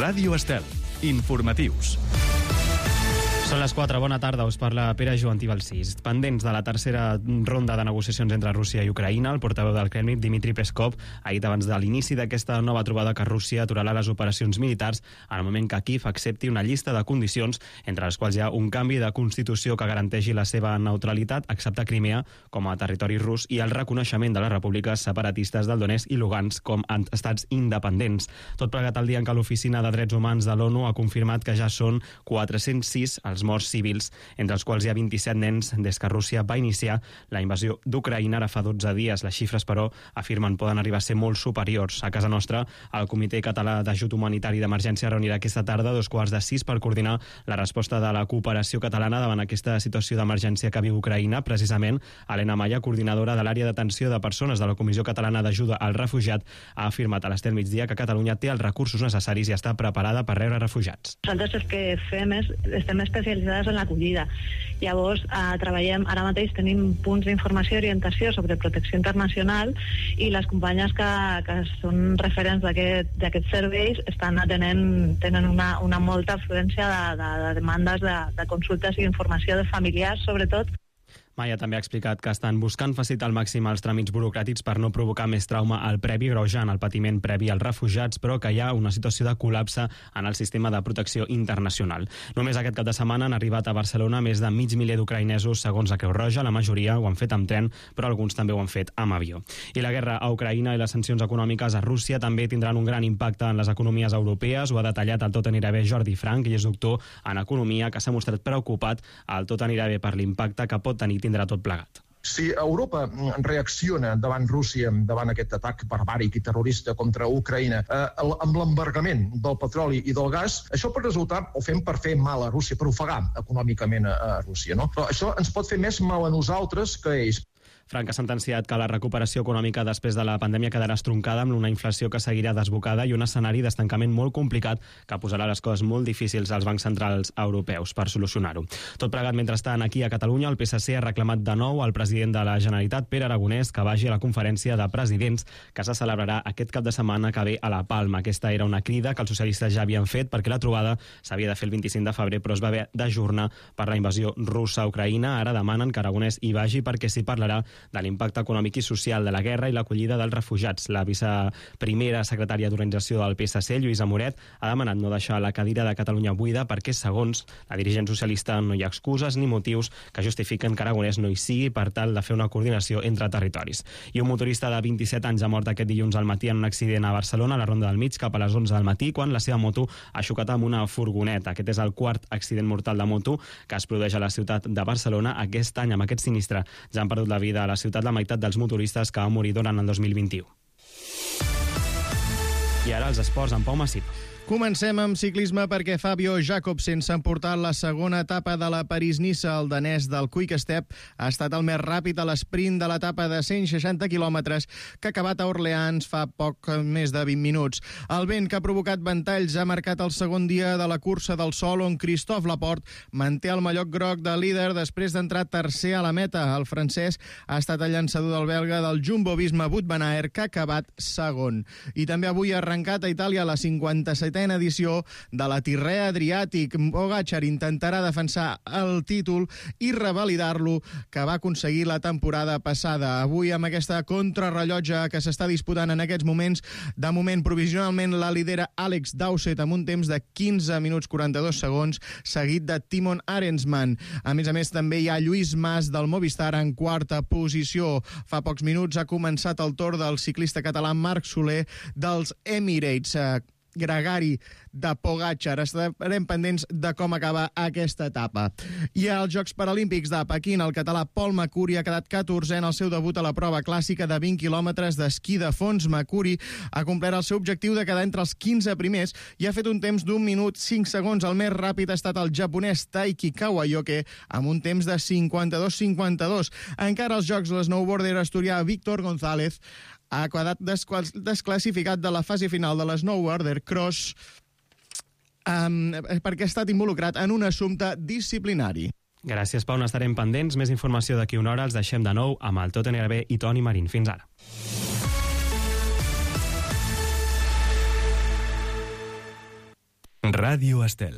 Ràdio Estel. Informatius. Són les 4, bona tarda, us parla Pere Joantí Balsís. Pendents de la tercera ronda de negociacions entre Rússia i Ucraïna, el portaveu del Kremlin, Dmitry Peskov, ha dit abans de l'inici d'aquesta nova trobada que Rússia aturarà les operacions militars en el moment que Kíev accepti una llista de condicions, entre les quals hi ha un canvi de constitució que garanteixi la seva neutralitat, acceptar Crimea com a territori rus i el reconeixement de les repúbliques separatistes del Donetsk i Lugansk com a estats independents. Tot plegat el dia en què l'Oficina de Drets Humans de l'ONU ha confirmat que ja són 406 els morts civils, entre els quals hi ha 27 nens des que Rússia va iniciar la invasió d'Ucraïna ara fa 12 dies. Les xifres, però, afirmen poden arribar a ser molt superiors. A casa nostra, el Comitè Català d'Ajut Humanitari d'Emergència reunirà aquesta tarda a 5:15 per coordinar la resposta de la cooperació catalana davant aquesta situació d'emergència que viu Ucraïna. Precisament, Helena Maya, coordinadora de l'àrea d'atenció de persones de la Comissió Catalana d'Ajuda al Refugiat, ha afirmat a l'Estel Migdia que Catalunya té els recursos necessaris i està preparada per rebre refugiats. Nosaltres el que fem és, estem especialitzades en l'acollida. Llavors, treballem, ara mateix tenim punts d'informació i orientació sobre protecció internacional i les companyes que són referents d'aquests serveis estan tenen una molta afluència de demandes de consultes i informació de familiars, sobretot. Maya també ha explicat que estan buscant facilitar al màxim els tràmits burocràtics per no provocar més trauma al previ, greujant el patiment previ als refugiats, però que hi ha una situació de col·lapse en el sistema de protecció internacional. Només aquest cap de setmana han arribat a Barcelona més de 500.000 d'ucraïnesos, segons la Creu Roja. La majoria ho han fet amb tren, però alguns també ho han fet amb avió. I la guerra a Ucraïna i les sancions econòmiques a Rússia també tindran un gran impacte en les economies europees. Ho ha detallat el Tot anirà bé Jordi Frank, i és doctor en economia, que s'ha mostrat preocupat al Tot anirà bé per l'impacte que pot tenir tindrà tot plegat. Si Europa reacciona davant Rússia, davant aquest atac barbàric i terrorista contra Ucraïna, amb l'embargament del petroli i del gas, això pot resultar, ho fem per fer mal a Rússia, per ofegar econòmicament a Rússia, no? Però això ens pot fer més mal a nosaltres que a ells. Frank ha sentenciat que la recuperació econòmica després de la pandèmia quedarà estroncada amb una inflació que seguirà desbocada i un escenari d'estancament molt complicat que posarà les coses molt difícils als bancs centrals europeus per solucionar-ho. Tot plegat, mentrestant, aquí a Catalunya, el PSC ha reclamat de nou al president de la Generalitat, Pere Aragonès, que vagi a la conferència de presidents que se celebrarà aquest cap de setmana que ve a la Palma. Aquesta era una crida que els socialistes ja havien fet perquè la trobada s'havia de fer el 25 de febrer, però es va haver d'ajornar per la invasió russa a Ucraïna. Ara demanen que Aragonès hi vagi perquè s'hi parlarà de l'impacte econòmic i social de la guerra i l'acollida dels refugiats. La viceprimera secretària d'organització del PSC, Lluïsa Moret, ha demanat no deixar la cadira de Catalunya buida perquè, segons la dirigent socialista, no hi ha excuses ni motius que justifiquen que Aragonès no hi sigui per tal de fer una coordinació entre territoris. I un motorista de 27 anys ha mort aquest dilluns al matí en un accident a Barcelona, a la Ronda del Mig, cap a les 11 del matí, quan la seva moto ha xocat amb una furgoneta. Aquest és el quart accident mortal de moto que es produeix a la ciutat de Barcelona. Aquest any, amb aquest sinistre, ja han perdut la vida a la ciutat la meitat dels motoristes que van morir durant el 2021. I ara els esports amb Pau Massip. Comencem amb ciclisme perquè Fabio Jakobsen s'ha emportat la segona etapa de la París-Niça. El danès del Quick Step ha estat el més ràpid a l'esprint de l'etapa de 160 quilòmetres que ha acabat a Orleans fa poc més de 20 minuts. El vent que ha provocat ventalls ha marcat el segon dia de la cursa del sol, on Christophe Laporte manté el mallot groc de líder després d'entrar tercer a la meta. El francès ha estat el llançador del belga del Jumbo-Visma Wout van Aert, que ha acabat segon. I també avui ha arrencat a Itàlia la 57a edició de la Tirrea Adriàtic. Pogačar intentarà defensar el títol i revalidar-lo que va aconseguir la temporada passada. Avui, amb aquesta contrarrellotge que s'està disputant en aquests moments, de moment provisionalment la lidera Alex Dowsett amb un temps de 15 minuts 42 segons, seguit de Timon Arensman. A més, també hi ha Lluís Mas del Movistar en quarta posició. Fa pocs minuts ha començat el torn del ciclista català Marc Soler dels Emirates. Gregari de Pogačar. Estarem pendents de com acaba aquesta etapa. I als Jocs Paralímpics de Pequín, el català Pol Macuri ha quedat 14è en el seu debut a la prova clàssica de 20 quilòmetres d'esquí de fons. Macuri ha complert el seu objectiu de quedar entre els 15 primers i ha fet un temps d'1 minut 5 segons. El més ràpid ha estat el japonès Taiki Kawayoke amb un temps de 52-52. Encara als Jocs, l'snowboarder asturià Víctor González ha quedat desclassificat de la fase final de l'Snowboarder Cross perquè ha estat involucrat en un assumpte disciplinari. Gràcies, Pau. N'estarem pendents. Més informació d'aquí una hora. Els deixem de nou amb el Tot anirà bé i Toni Marín. Fins ara. Ràdio Estel.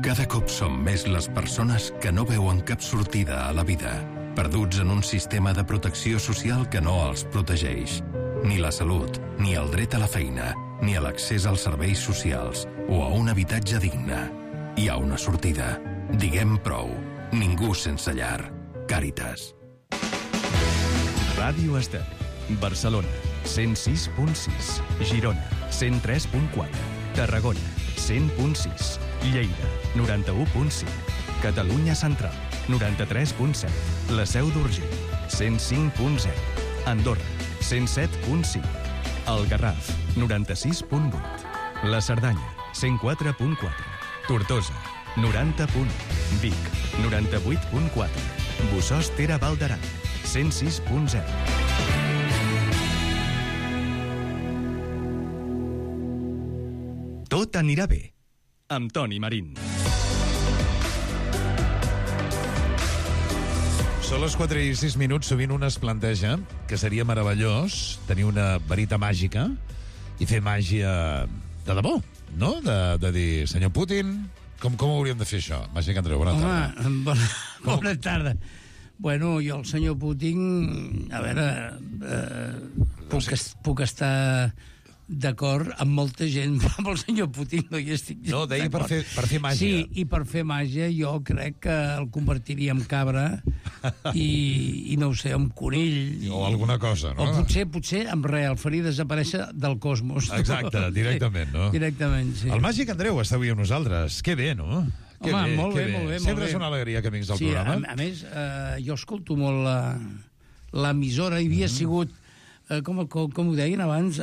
Cada cop som més les persones que no veuen cap sortida a la vida, perduts en un sistema de protecció social que no els protegeix. Ni la salut, ni el dret a la feina, ni a l'accés als serveis socials o a un habitatge digne. Hi ha una sortida. Diguem prou. Ningú sense llar. Càritas. Ràdio Estel. Barcelona, 106.6. Girona, 103.4. Tarragona, 100.6. Lleida, 91.5. Catalunya Central, 93.7. La Seu d'Urgell, 105.0. Andorra, 107.5. El Garraf, 96.8. La Cerdanya, 104.4. Tortosa, 90.1. Vic, 98.4. Bossòst Tere Val d'Aran, 106.0. Tot anirà bé, amb Toni Marín. Són les 4:06. Sovint un es planteja que seria meravellós tenir una varita màgica i fer màgia de debò, no? De dir, senyor Putin, com hauríem de fer això? Màgic Andreu, bona tarda. Home, bona tarda. Bueno, jo el senyor Putin, a veure, puc estar d'acord amb molta gent, però amb el senyor Putin no hi estic No, deia per fer màgia. Sí, i per fer màgia jo crec que el convertiria en cabra i no ho sé, en conill. O alguna cosa, no? O potser en res, el faria desaparèixer del cosmos. Exacte, directament, no? Directament, sí. El Màgic Andreu està avui amb nosaltres. Que bé, no? Home, molt bé. Sempre és una alegria que vinguis al programa. Sí, a més, jo escolto molt l'emissora, hi havia sigut, com ho deien abans,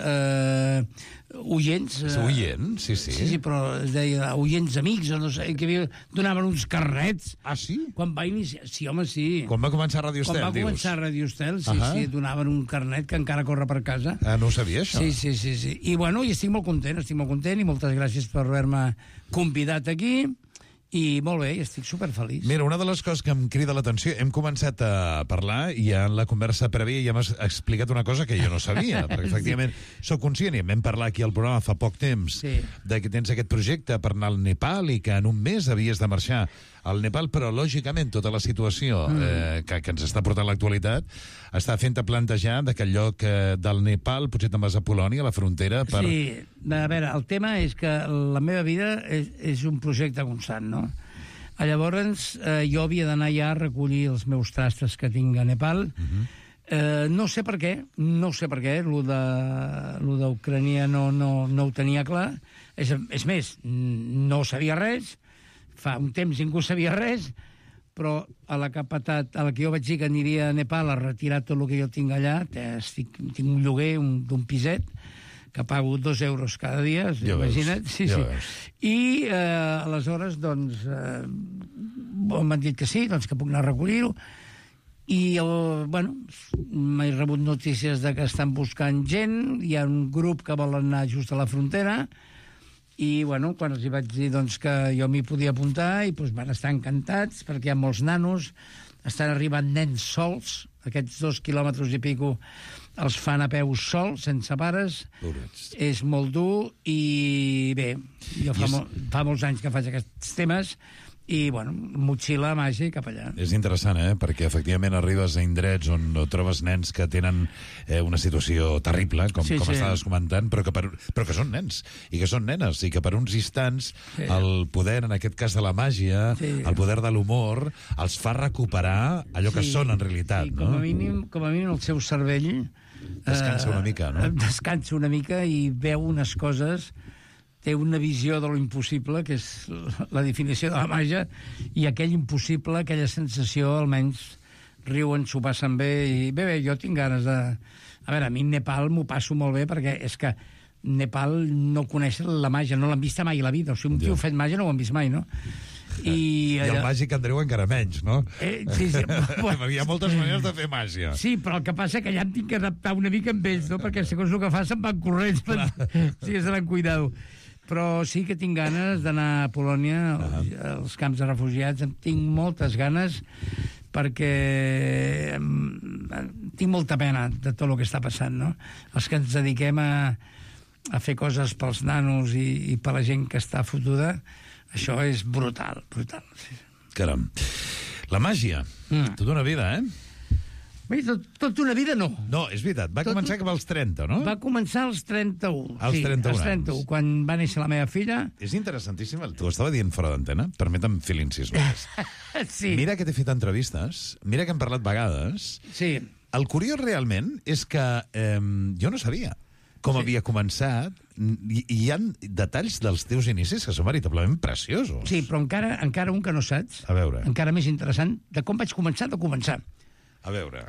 oients. Oient, sí. Sí, però es deia oients amics, o no sé, que donaven uns carnets. Ah, sí? Quan va iniciar... Sí, home, sí. Quan va començar Ràdio Estel, dius? Quan va començar Ràdio Estel, sí, donaven un carnet que encara corre per casa. Ah, no ho sabia, això? Sí. I, bueno, i estic molt content, i moltes gràcies per haver-me convidat aquí. I molt bé, estic superfeliç. Mira, una de les coses que em crida l'atenció, hem començat a parlar i en la conversa prèvia ja m'has explicat una cosa que jo no sabia, perquè efectivament sóc conscient, i vam parlar aquí al programa fa poc temps, de que tens aquest projecte per anar al Nepal i que en un mes havies de marxar al Nepal, però lògicament tota la situació que ens està portant l'actualitat està fent-te plantejar que el lloc del Nepal potser te'n vas a Polònia, a la frontera per... Sí, a veure, el tema és que la meva vida és un projecte constant, no? Llavors jo havia d'anar ja a recollir els meus trastos que tinc a Nepal. No sé per què, lo d'Ucrània no ho tenia clar. És més, no sabia res, fa un temps ningú sabia res, però a la que jo vaig dir que aniria a Nepal a retirar tot el que jo tinc allà, tinc un lloguer d'un piset, que pago 2 euros cada dia, imagina't. Sí. I aleshores, doncs, m'han dit que sí, doncs que puc anar a recollir-ho, i, bueno, m'he rebut notícies de que estan buscant gent, hi ha un grup que vol anar just a la frontera, i, bueno, quan els hi vaig dir doncs, que jo m'hi podia apuntar, i doncs, van estar encantats, perquè hi ha molts nanos, estan arribant nens sols, aquests 2 quilòmetres i pico els fan a peu sols, sense pares. És molt dur, i bé, jo fa molts anys que faig aquests temes, i, bueno, motxilla màgica cap allà. És interessant, perquè efectivament arribes a indrets on trobes nens que tenen una situació terrible, com estaves comentant, però que són nens, i que són nenes, i que per uns instants el poder, en aquest cas de la màgia, el poder de l'humor, els fa recuperar allò que són en realitat. Com a mínim el seu cervell descansa una mica, no? Descansa una mica i veu unes coses, té una visió de lo impossible, que és la definició de la màgia, i aquell impossible, aquella sensació, almenys riuen, s'ho passen bé, i bé, jo tinc ganes de... A veure, a mi Nepal m'ho passo molt bé, perquè és que Nepal no coneix la màgia, no l'han vista mai a la vida, o sigui, un tio fet màgia no ho han vist mai, no? I el Màgic Andreu encara menys, no? Sí. Hi ha moltes maneres de fer màgia. Sí, però el que passa que ja em tinc que adaptar una mica amb ells, no? Perquè segons el que fa se'n van corrents, sí, se l'han cuidat. Però sí que tinc ganes d'anar a Polònia, als camps de refugiats, en tinc moltes ganes, perquè tinc molta pena de tot el que està passant, no? Els que ens dediquem a fer coses pels nanos i per la gent que està fotuda, això és brutal, brutal. Caram. La màgia, tota una vida, Bé, tot una vida no. No, és veritat, va començar cap als 30, no? Va començar als 31. Als 31 als 31, anys. quan va néixer la meva filla. És interessantíssim, t'ho estava dient fora d'antena, permetem fer l'incís només. Sí. Mira que t'he fet entrevistes, mira que hem parlat vegades. Sí. El curiós realment és que jo no sabia com havia començat, i hi ha detalls dels teus inicis que són veritablement preciosos. Sí, però encara un que no saps, A veure. encara més interessant, de com vaig començar. A veure.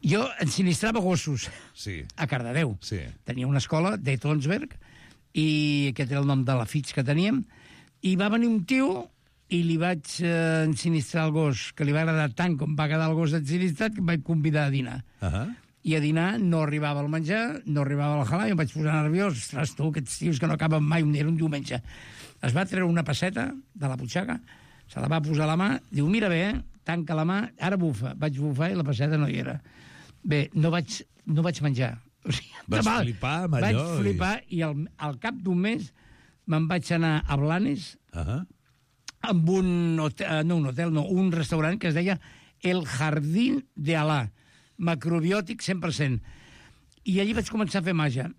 Jo ensinistrava gossos Sí. a Cardedeu. Sí. Tenia una escola de Tonsberg, i aquest era el nom de la fitx que teníem, i va venir un tio i li vaig ensinistrar el gos, que li va agradar tant com va quedar el gos ensinistrat, que em vaig convidar a dinar. I a dinar no arribava el menjar, no arribava el halal, i em vaig posar nerviós. Ostres, tu, aquests tios que no acaben mai, era un diumenge. Es va treure una pesseta de la butxaca, se la va posar a la mà, diu, mira bé, tanca la mà, ara bufa. Vaig bufar i la pesseta no hi era. Bé, no vaig menjar. O sigui, Vas flipar amb allò? Vaig flipar i al cap d'un mes me'n vaig anar a Blanes amb un restaurant que es deia El Jardín de Alá, macrobiòtic 100%. I allí vaig començar a fer màgia.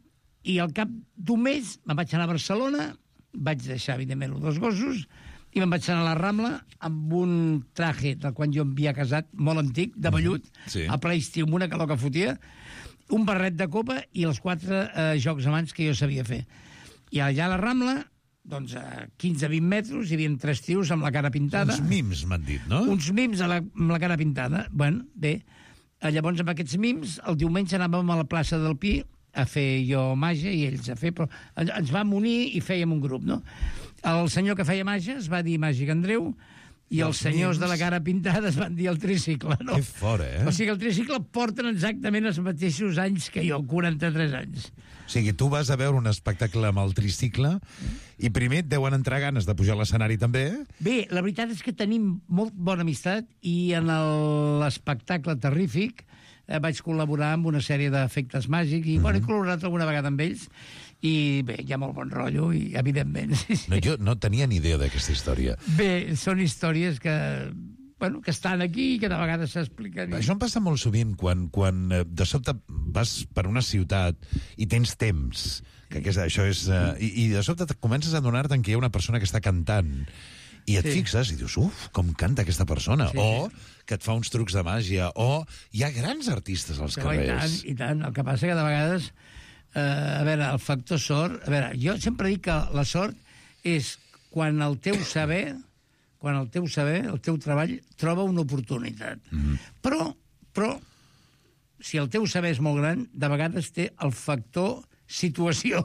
I al cap d'un mes me'n vaig anar a Barcelona, vaig deixar, evidentment, els 2 gossos, i me'n vaig anar a la Rambla amb un traje del quan jo em havia casat, molt antic, de vellut, a ple estiu, amb una calor que fotia, un barret de copa i els 4 jocs a mans que jo sabia fer. I allà a la Rambla, doncs a 15-20 metres, hi havia 3 tios amb la cara pintada. Uns mims, m'han dit, no? Uns mims amb la cara pintada. Bueno, bé, llavors amb aquests mims, el diumenge anàvem a la plaça del Pi a fer jo màgia i ells a fer, però ens vam unir i fèiem un grup, no? El senyor que feia màgia es va dir Màgic Andreu, i els senyors de la cara pintada es van dir el tricicle, no? Que fora, O sigui, el tricicle porten exactament els mateixos anys que jo, 43 anys. O sigui, tu vas a veure un espectacle amb el tricicle i primer et deuen entrar ganes de pujar a l'escenari també. Bé, la veritat és que tenim molt bona amistat i en l'espectacle terrífic vaig col·laborar amb una sèrie d'efectes màgics i he col·laborat alguna vegada amb ells i bé, hi ha molt bon rotllo i evidentment... No, jo no tenia ni idea d'aquesta història. Bé, són històries que estan aquí i que de vegades s'expliquen. Això em passa molt sovint quan de sobte vas per una ciutat i tens temps, que això és... I de sobte comences a adonar-te'n que hi ha una persona que està cantant i et fixes i dius, com canta aquesta persona, o que et fa uns trucs de màgia, o hi ha grans artistes als carrers. I tant. El que passa que de vegades, a veure, el factor sort... A veure, jo sempre dic que la sort és quan el teu saber, el teu treball, troba una oportunitat. Però, si el teu saber és molt gran, de vegades té el factor situació.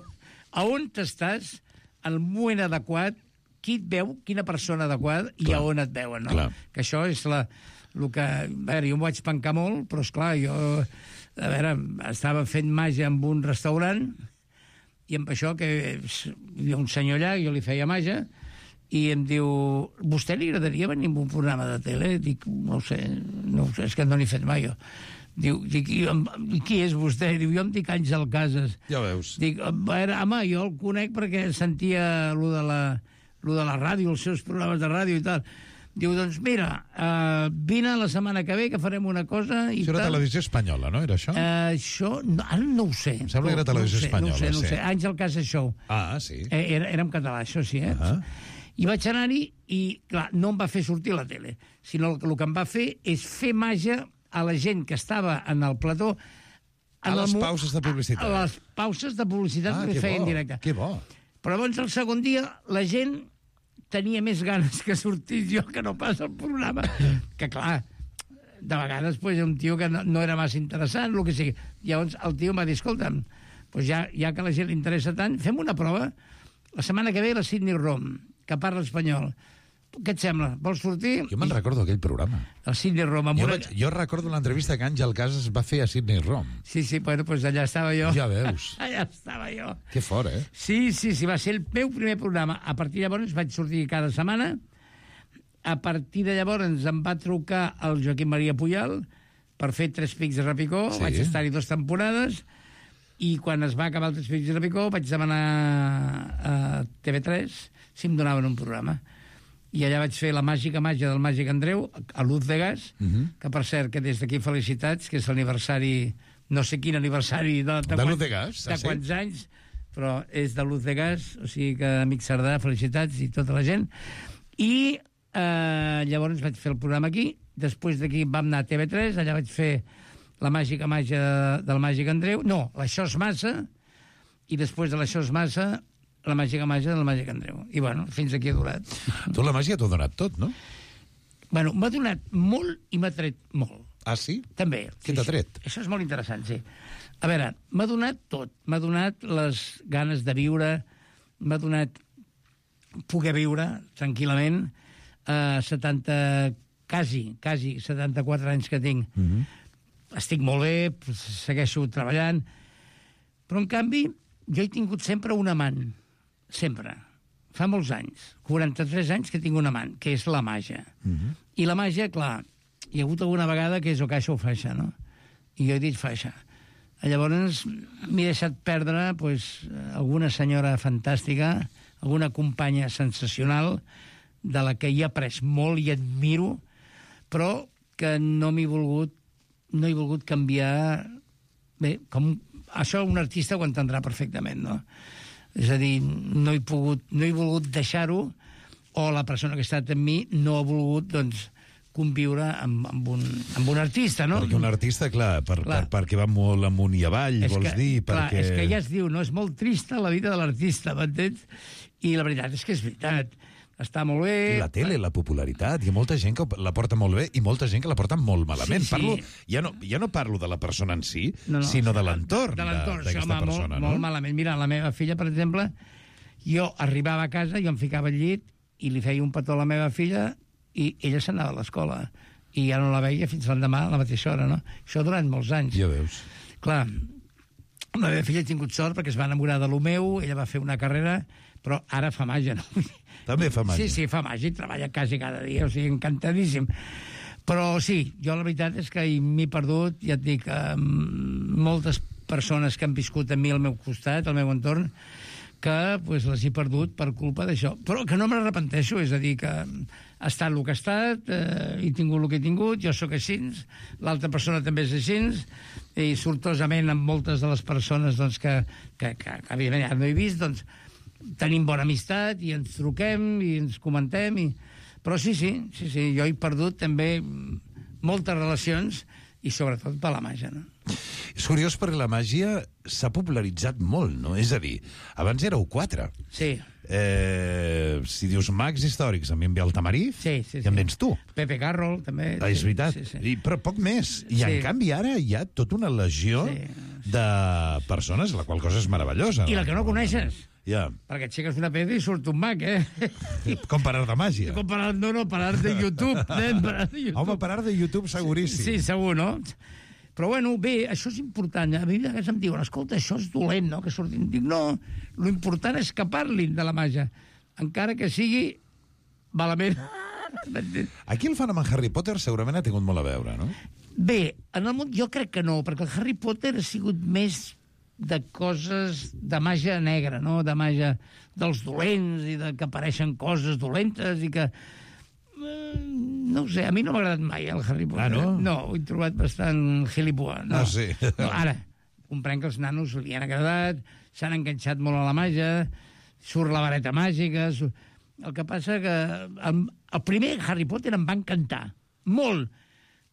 A on t'estàs, al moment adequat, qui et veu, quina persona adequada i a on et veuen, no? Que això és el que... A veure, jo m'ho vaig pencar molt, però, esclar, jo... A veure, estava fent màgia en un restaurant i amb això que hi ha un senyor allà, jo li feia màgia, i em diu, vostè li agradaria venir a un programa de tele? Dic, no ho sé, és que no n'he fet mai jo. Diu, i qui és vostè? Diu, jo em dic Àngel Casas. Ja veus. Dic, a veure, home, jo el conec perquè sentia lo de la ràdio, els seus programes de ràdio i tal. Diu, doncs mira, vine la setmana que ve que farem una cosa i això era Televisió Espanyola, no? Era això? Això, ara no ho sé. Em sembla que era Televisió Espanyola. No ho sé. Àngel Casas Show. Ah, sí. Era en català, això sí, I vaig anar-hi i, clar, no em va fer sortir a la tele, sinó que el que em va fer és fer màgia a la gent que estava en el plató a les pauses de publicitat. A les pauses de publicitat que feien en directe. Que bo. Però llavors el segon dia la gent tenia més ganes que sortís jo que no pas al programa. Que clar, de vegades pues, un tio que no era massa interessant, el que sigui. Llavors el tio em va dir, escolta'm, pues ja que a la gent li interessa tant, fem una prova. La setmana que ve la Sidney Rom, que parla espanyol. Què et sembla? Vols sortir? Jo me'n recordo aquell programa. El Sidney Rom. Jo recordo l'entrevista que Àngel Casas va fer a Sidney Rom. Sí, bueno, pues allà estava jo. Ja veus. Allà estava jo. Que fort, eh? Sí, va ser el meu primer programa. A partir de llavors vaig sortir cada setmana. A partir de llavors em va trucar el Joaquim Maria Pujal per fer Tres Pics de Repicó, vaig estar-hi 2 temporades, i quan es va acabar el Tres Pics de Repicó vaig demanar a TV3 si em donaven un programa. I allà vaig fer La màgica màgia del Màgic Andreu, a Luz de Gas, que per cert, que des d'aquí felicitats, que és l'aniversari, no sé quin aniversari de Luz de Gas, de quants anys, però és de Luz de Gas, o sigui que amic Cerdà, felicitats i tota la gent. I llavors vaig fer el programa aquí, després d'aquí vam anar a TV3, allà vaig fer La màgica màgia del Màgic Andreu, no, l'Això és massa, i després de l'Això és massa, La màgica màgia del Màgic Andreu. I bueno, fins aquí ha durat. Tu la màgia t'ho ha donat tot, no? Bueno, m'ha donat molt i m'ha tret molt. Ah, sí? També. Què t'ha tret? Això és molt interessant, sí. A veure, m'ha donat tot. M'ha donat les ganes de viure, m'ha donat poder viure tranquil·lament, quasi 74 anys que tinc. Estic molt bé, segueixo treballant, però en canvi jo he tingut sempre un amant, sempre. Fa molts anys, 43 anys que tinc un amant, que és la màgia. I la màgia, clar, hi ha hagut alguna vegada que és o caixa o faixa, no? I jo he dit faixa. Llavors m'he deixat perdre alguna senyora fantàstica, alguna companya sensacional, de la que hi he après molt i admiro, però que no he volgut canviar. Bé, com això un artista ho entendrà perfectament, no? És a dir, no he volgut deixar-ho, o la persona que ha estat amb mi no ha volgut, doncs, conviure amb un artista, no? Perquè un artista, clar, perquè va molt amunt i avall, vols dir, clar, perquè... és que ja es diu, no? És molt trista la vida de l'artista, m'entens? I la veritat és que és veritat. Està molt bé... I la tele, la popularitat, hi ha molta gent que la porta molt bé i molta gent que la porta molt malament. Sí. Ja no parlo de la persona en si, sinó de l'entorn d'aquesta persona. Molt malament. Mira, la meva filla, per exemple, jo arribava a casa, jo em ficava al llit i li feia un petó a la meva filla i ella s'anava a l'escola. I ja no la veia fins l'endemà a la mateixa hora, no? Això durant molts anys. Ja veus. Clar, la meva filla ha tingut sort perquè es va enamorar de lo meu, ella va fer una carrera, però ara fa màgia, no? També fa màgia. Sí, fa màgia, treballa quasi cada dia, o sigui, encantadíssim. Però sí, jo la veritat és que m'he perdut, ja et dic, moltes persones que han viscut a mi al meu costat, al meu entorn, que les he perdut per culpa d'això. Però que no me n'arrepenteixo, és a dir, que ha estat el que ha estat, he tingut el que he tingut, jo sóc així, l'altra persona també és així, i sortosament amb moltes de les persones doncs, que evidentment ja no he vist, doncs, tenim bona amistat i ens truquem i ens comentem. Però sí, jo he perdut també moltes relacions i sobretot per la màgia, no? És curiós perquè la màgia s'ha popularitzat molt, no? És a dir, abans éreu 4. Sí. Si dius mags històrics, a mi em ve el Tamariz, i em vens tu. Pepe Carroll, també. És veritat, però poc més. I en canvi ara hi ha tota una legió de persones, la qual cosa és meravellosa. I la que no coneixes. Ja. Perquè aixeques una pedra i surt un mag, Com parar de màgia. Parar de YouTube. Home, parar de YouTube seguríssim. Sí, segur, no? Però, bueno, bé, això és important. A mi a vegades em diuen, escolta, això és dolent, no?, que surtin. Dic, no, l'important és que parlin de la màgia, encara que sigui malament. Aquí el fenomen Harry Potter segurament ha tingut molt a veure, no? Bé, en el món jo crec que no, perquè el Harry Potter ha sigut més de coses de màgia negra, no?, de màgia dels dolents i de que apareixen coses dolentes i que... No ho sé, a mi no m'ha agradat mai el Harry Potter. Ah, no? No, ho he trobat bastant gilipua. No. Ah, sí. No, ara, comprenc que els nanos li han agradat, s'han enganxat molt a la màgia, surt la vareta màgica... El que passa que el primer Harry Potter em va encantar, molt,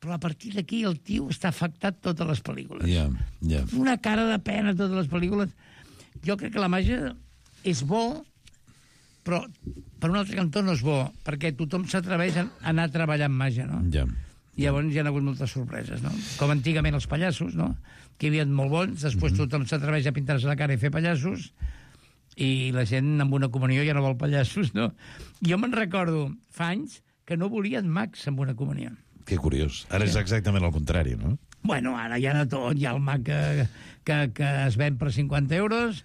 però a partir d'aquí el tio està afectat totes les pel·lícules. Ja. Una cara de pena totes les pel·lícules. Jo crec que la màgia és bo, però per un altre cantó no és bo, perquè tothom s'atreveix a anar a treballar amb màgia, no? Ja. I llavors hi ha hagut moltes sorpreses, no? Com antigament els pallassos, no?, que hi havia molt bons, després tothom s'atreveix a pintar-se la cara i fer pallassos, i la gent amb una comunió ja no vol pallassos, no? Jo me'n recordo fa anys que no volien mags amb una comunió. Que curiós. Ara és exactament el contrari, no? Bueno, ara hi ha de tot. Hi ha el mag que es ven per 50 euros,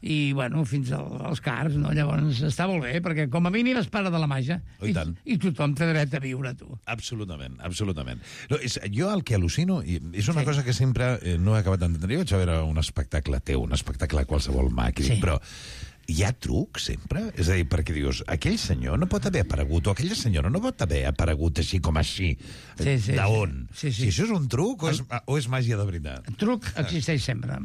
i, bueno, fins als cars, no? Llavors està molt bé, perquè com a mínim es para de la màgia. I tothom té dret a viure, tu. Absolutament, absolutament. No, jo el que al·lucino, i és una cosa que sempre no he acabat d'entendre, jo vaig a veure un espectacle teu, un espectacle qualsevol màquina, però hi ha truc sempre? És a dir, perquè dius, aquell senyor no pot haver aparegut, o aquella senyora no pot haver aparegut així com així. D'on? Si això és un truc o és màgia de veritat? El truc existeix sempre.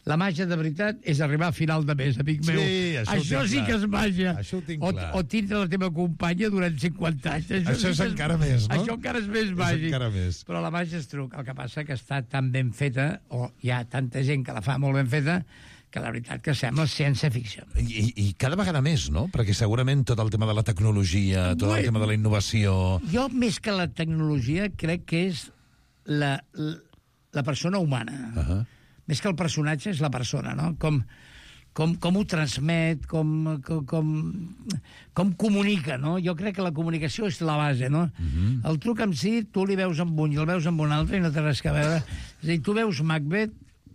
La màgia de veritat és arribar a final de mes, amic meu. Això sí que és màgia. Això ho tinc clar. O tindre la teva companya durant 50 anys. Això és encara més, no? Això encara és més màgic. És encara més. Però la màgia és truc. El que passa que està tan ben feta, o hi ha tanta gent que la fa molt ben feta, que la veritat que sembla ciència-ficció. I cada vegada més, no? Perquè segurament tot el tema de la tecnologia, tot el tema de la innovació... Jo, més que la tecnologia, crec que és la persona humana. Més que el personatge és la persona, no? Com ho transmet, com comunica, no? Jo crec que la comunicació és la base, no? El truc en si, tu li veus amb un i el veus amb un altre i no té res a veure. És a dir, tu veus Macbeth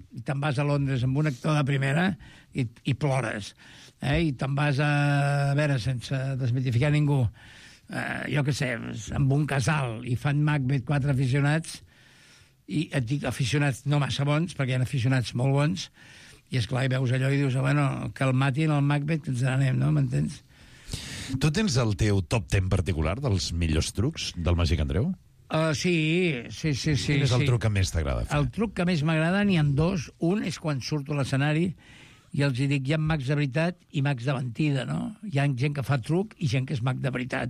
i te'n vas a Londres amb un actor de primera i plores. I te'n vas a veure, sense desmitificar ningú, jo què sé, amb un casal i fan Macbeth 4 aficionats, i et dic aficionats no massa bons, perquè hi ha aficionats molt bons, i esclar, hi veus allò i dius, bueno, que el matin el Macbeth, que ens n'anem, no? M'entens? Tu tens el teu top 10 particular dels millors trucs del Màgic Andreu? Sí. Quin és el truc que més t'agrada fer? El truc que més m'agrada n'hi ha dos. Un és quan surto a l'escenari i els dic, hi ha mags de veritat i mags de mentida, no? Hi ha gent que fa truc i gent que és mag de veritat.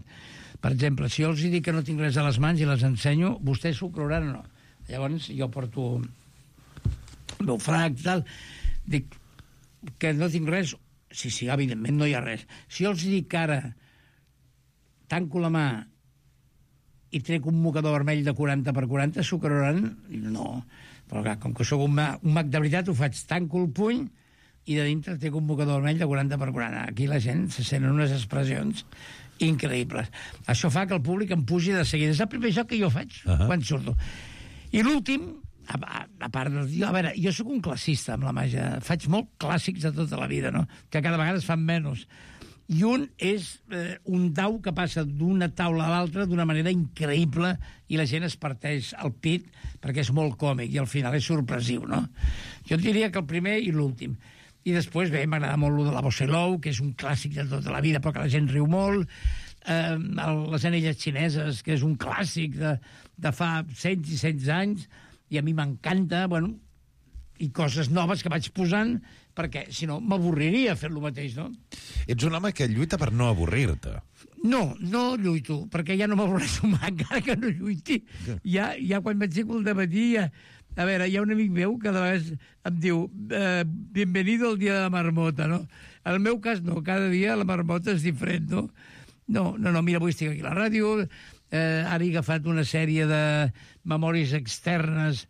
Per exemple, si jo els dic que no tinc res a les mans i les ensenyo, vostès s'ho creuran o no? Llavors jo porto el meu frac, tal, dic que no tinc res, sí, evidentment no hi ha res. Si jo els dic que ara tanco la mà i trec un mocador vermell de 40 per 40, s'ho creuran? No. Però clar, com que sóc un mag de veritat, ho faig, tanco el puny i de dintre trec un mocador vermell de 40 per 40. Aquí la gent se senten unes expressions increïbles. Això fa que el públic em pugi de seguida. És el primer joc que jo faig quan surto. I l'últim, a part de... A veure, jo sóc un classista amb la màgia. Faig molt clàssics de tota la vida, no? Que cada vegada es fan menys. I un és un dau que passa d'una taula a l'altra d'una manera increïble i la gent es parteix al pit perquè és molt còmic i al final és sorpresiu, no? Jo diria que el primer i l'últim. I després, bé, m'agrada molt el de la Bossa i l'ou, que és un clàssic de tota la vida, però que la gent riu molt. Les anelles xineses, que és un clàssic de fa 100 i 100 anys, i a mi m'encanta, bueno, i coses noves que vaig posant, perquè, si no, m'avorriria fer lo mateix, no? Ets un home que lluita per no avorrir-te. No lluito, perquè ja no m'avorreixo mai, encara que no lluiti. Ja quan m'aixeco al dematí, a veure, hi ha un amic meu que de vegades em diu bienvenido al dia de la marmota, no? En el meu cas, no, cada dia la marmota és diferent, no? No, mira, avui estic aquí a la ràdio, ara he agafat una sèrie de memòries externes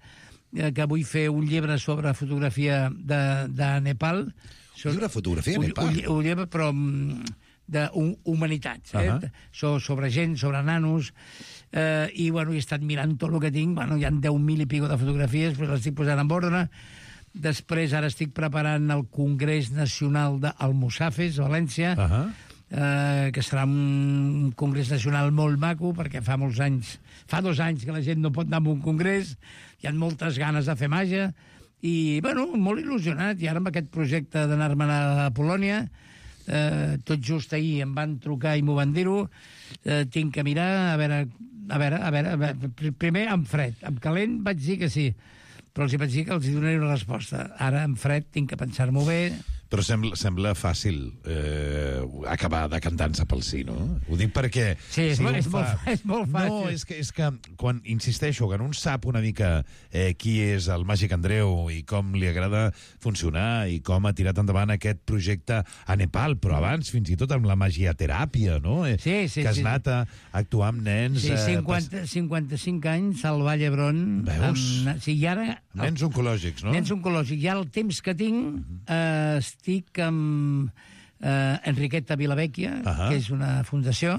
que vull fer un llibre sobre fotografia de Nepal. Un llibre de fotografia a Nepal? Un llibre, però d'humanitats, sobre gent, sobre nanos, i bueno, he estat mirant tot el que tinc, bueno, hi ha 10.000 i pico de fotografies, però les estic posant en ordre. Després ara estic preparant el Congrés Nacional d'Almussafes, a València, que serà un congrés nacional molt maco, perquè fa 2 anys que la gent no pot anar a un congrés, hi ha moltes ganes de fer màgia, i, bueno, molt il·lusionat, i ara amb aquest projecte d'anar-me'n a Polònia, tot just ahir em van trucar i m'ho van dir-ho, tinc que mirar, a veure, primer en fred, en calent vaig dir que sí, però els vaig dir que els donaré una resposta. Ara, en fred, tinc que pensar-m'ho bé. Però sembla fàcil acabar decantant-se pel sí, no? Ho dic perquè... Sí, és molt fàcil. No, és que quan insisteixo que un sap una mica qui és el Màgic Andreu i com li agrada funcionar i com ha tirat endavant aquest projecte a Nepal, però abans fins i tot amb la magiateràpia, no? Sí. Que has anat a actuar amb nens... Sí, 55 anys al Vall d'Hebron. Veus? I ara... Nens oncològics, no? Nens oncològics. Ja el temps que tinc... Estic amb Enriqueta Vilavecchia, que és una fundació,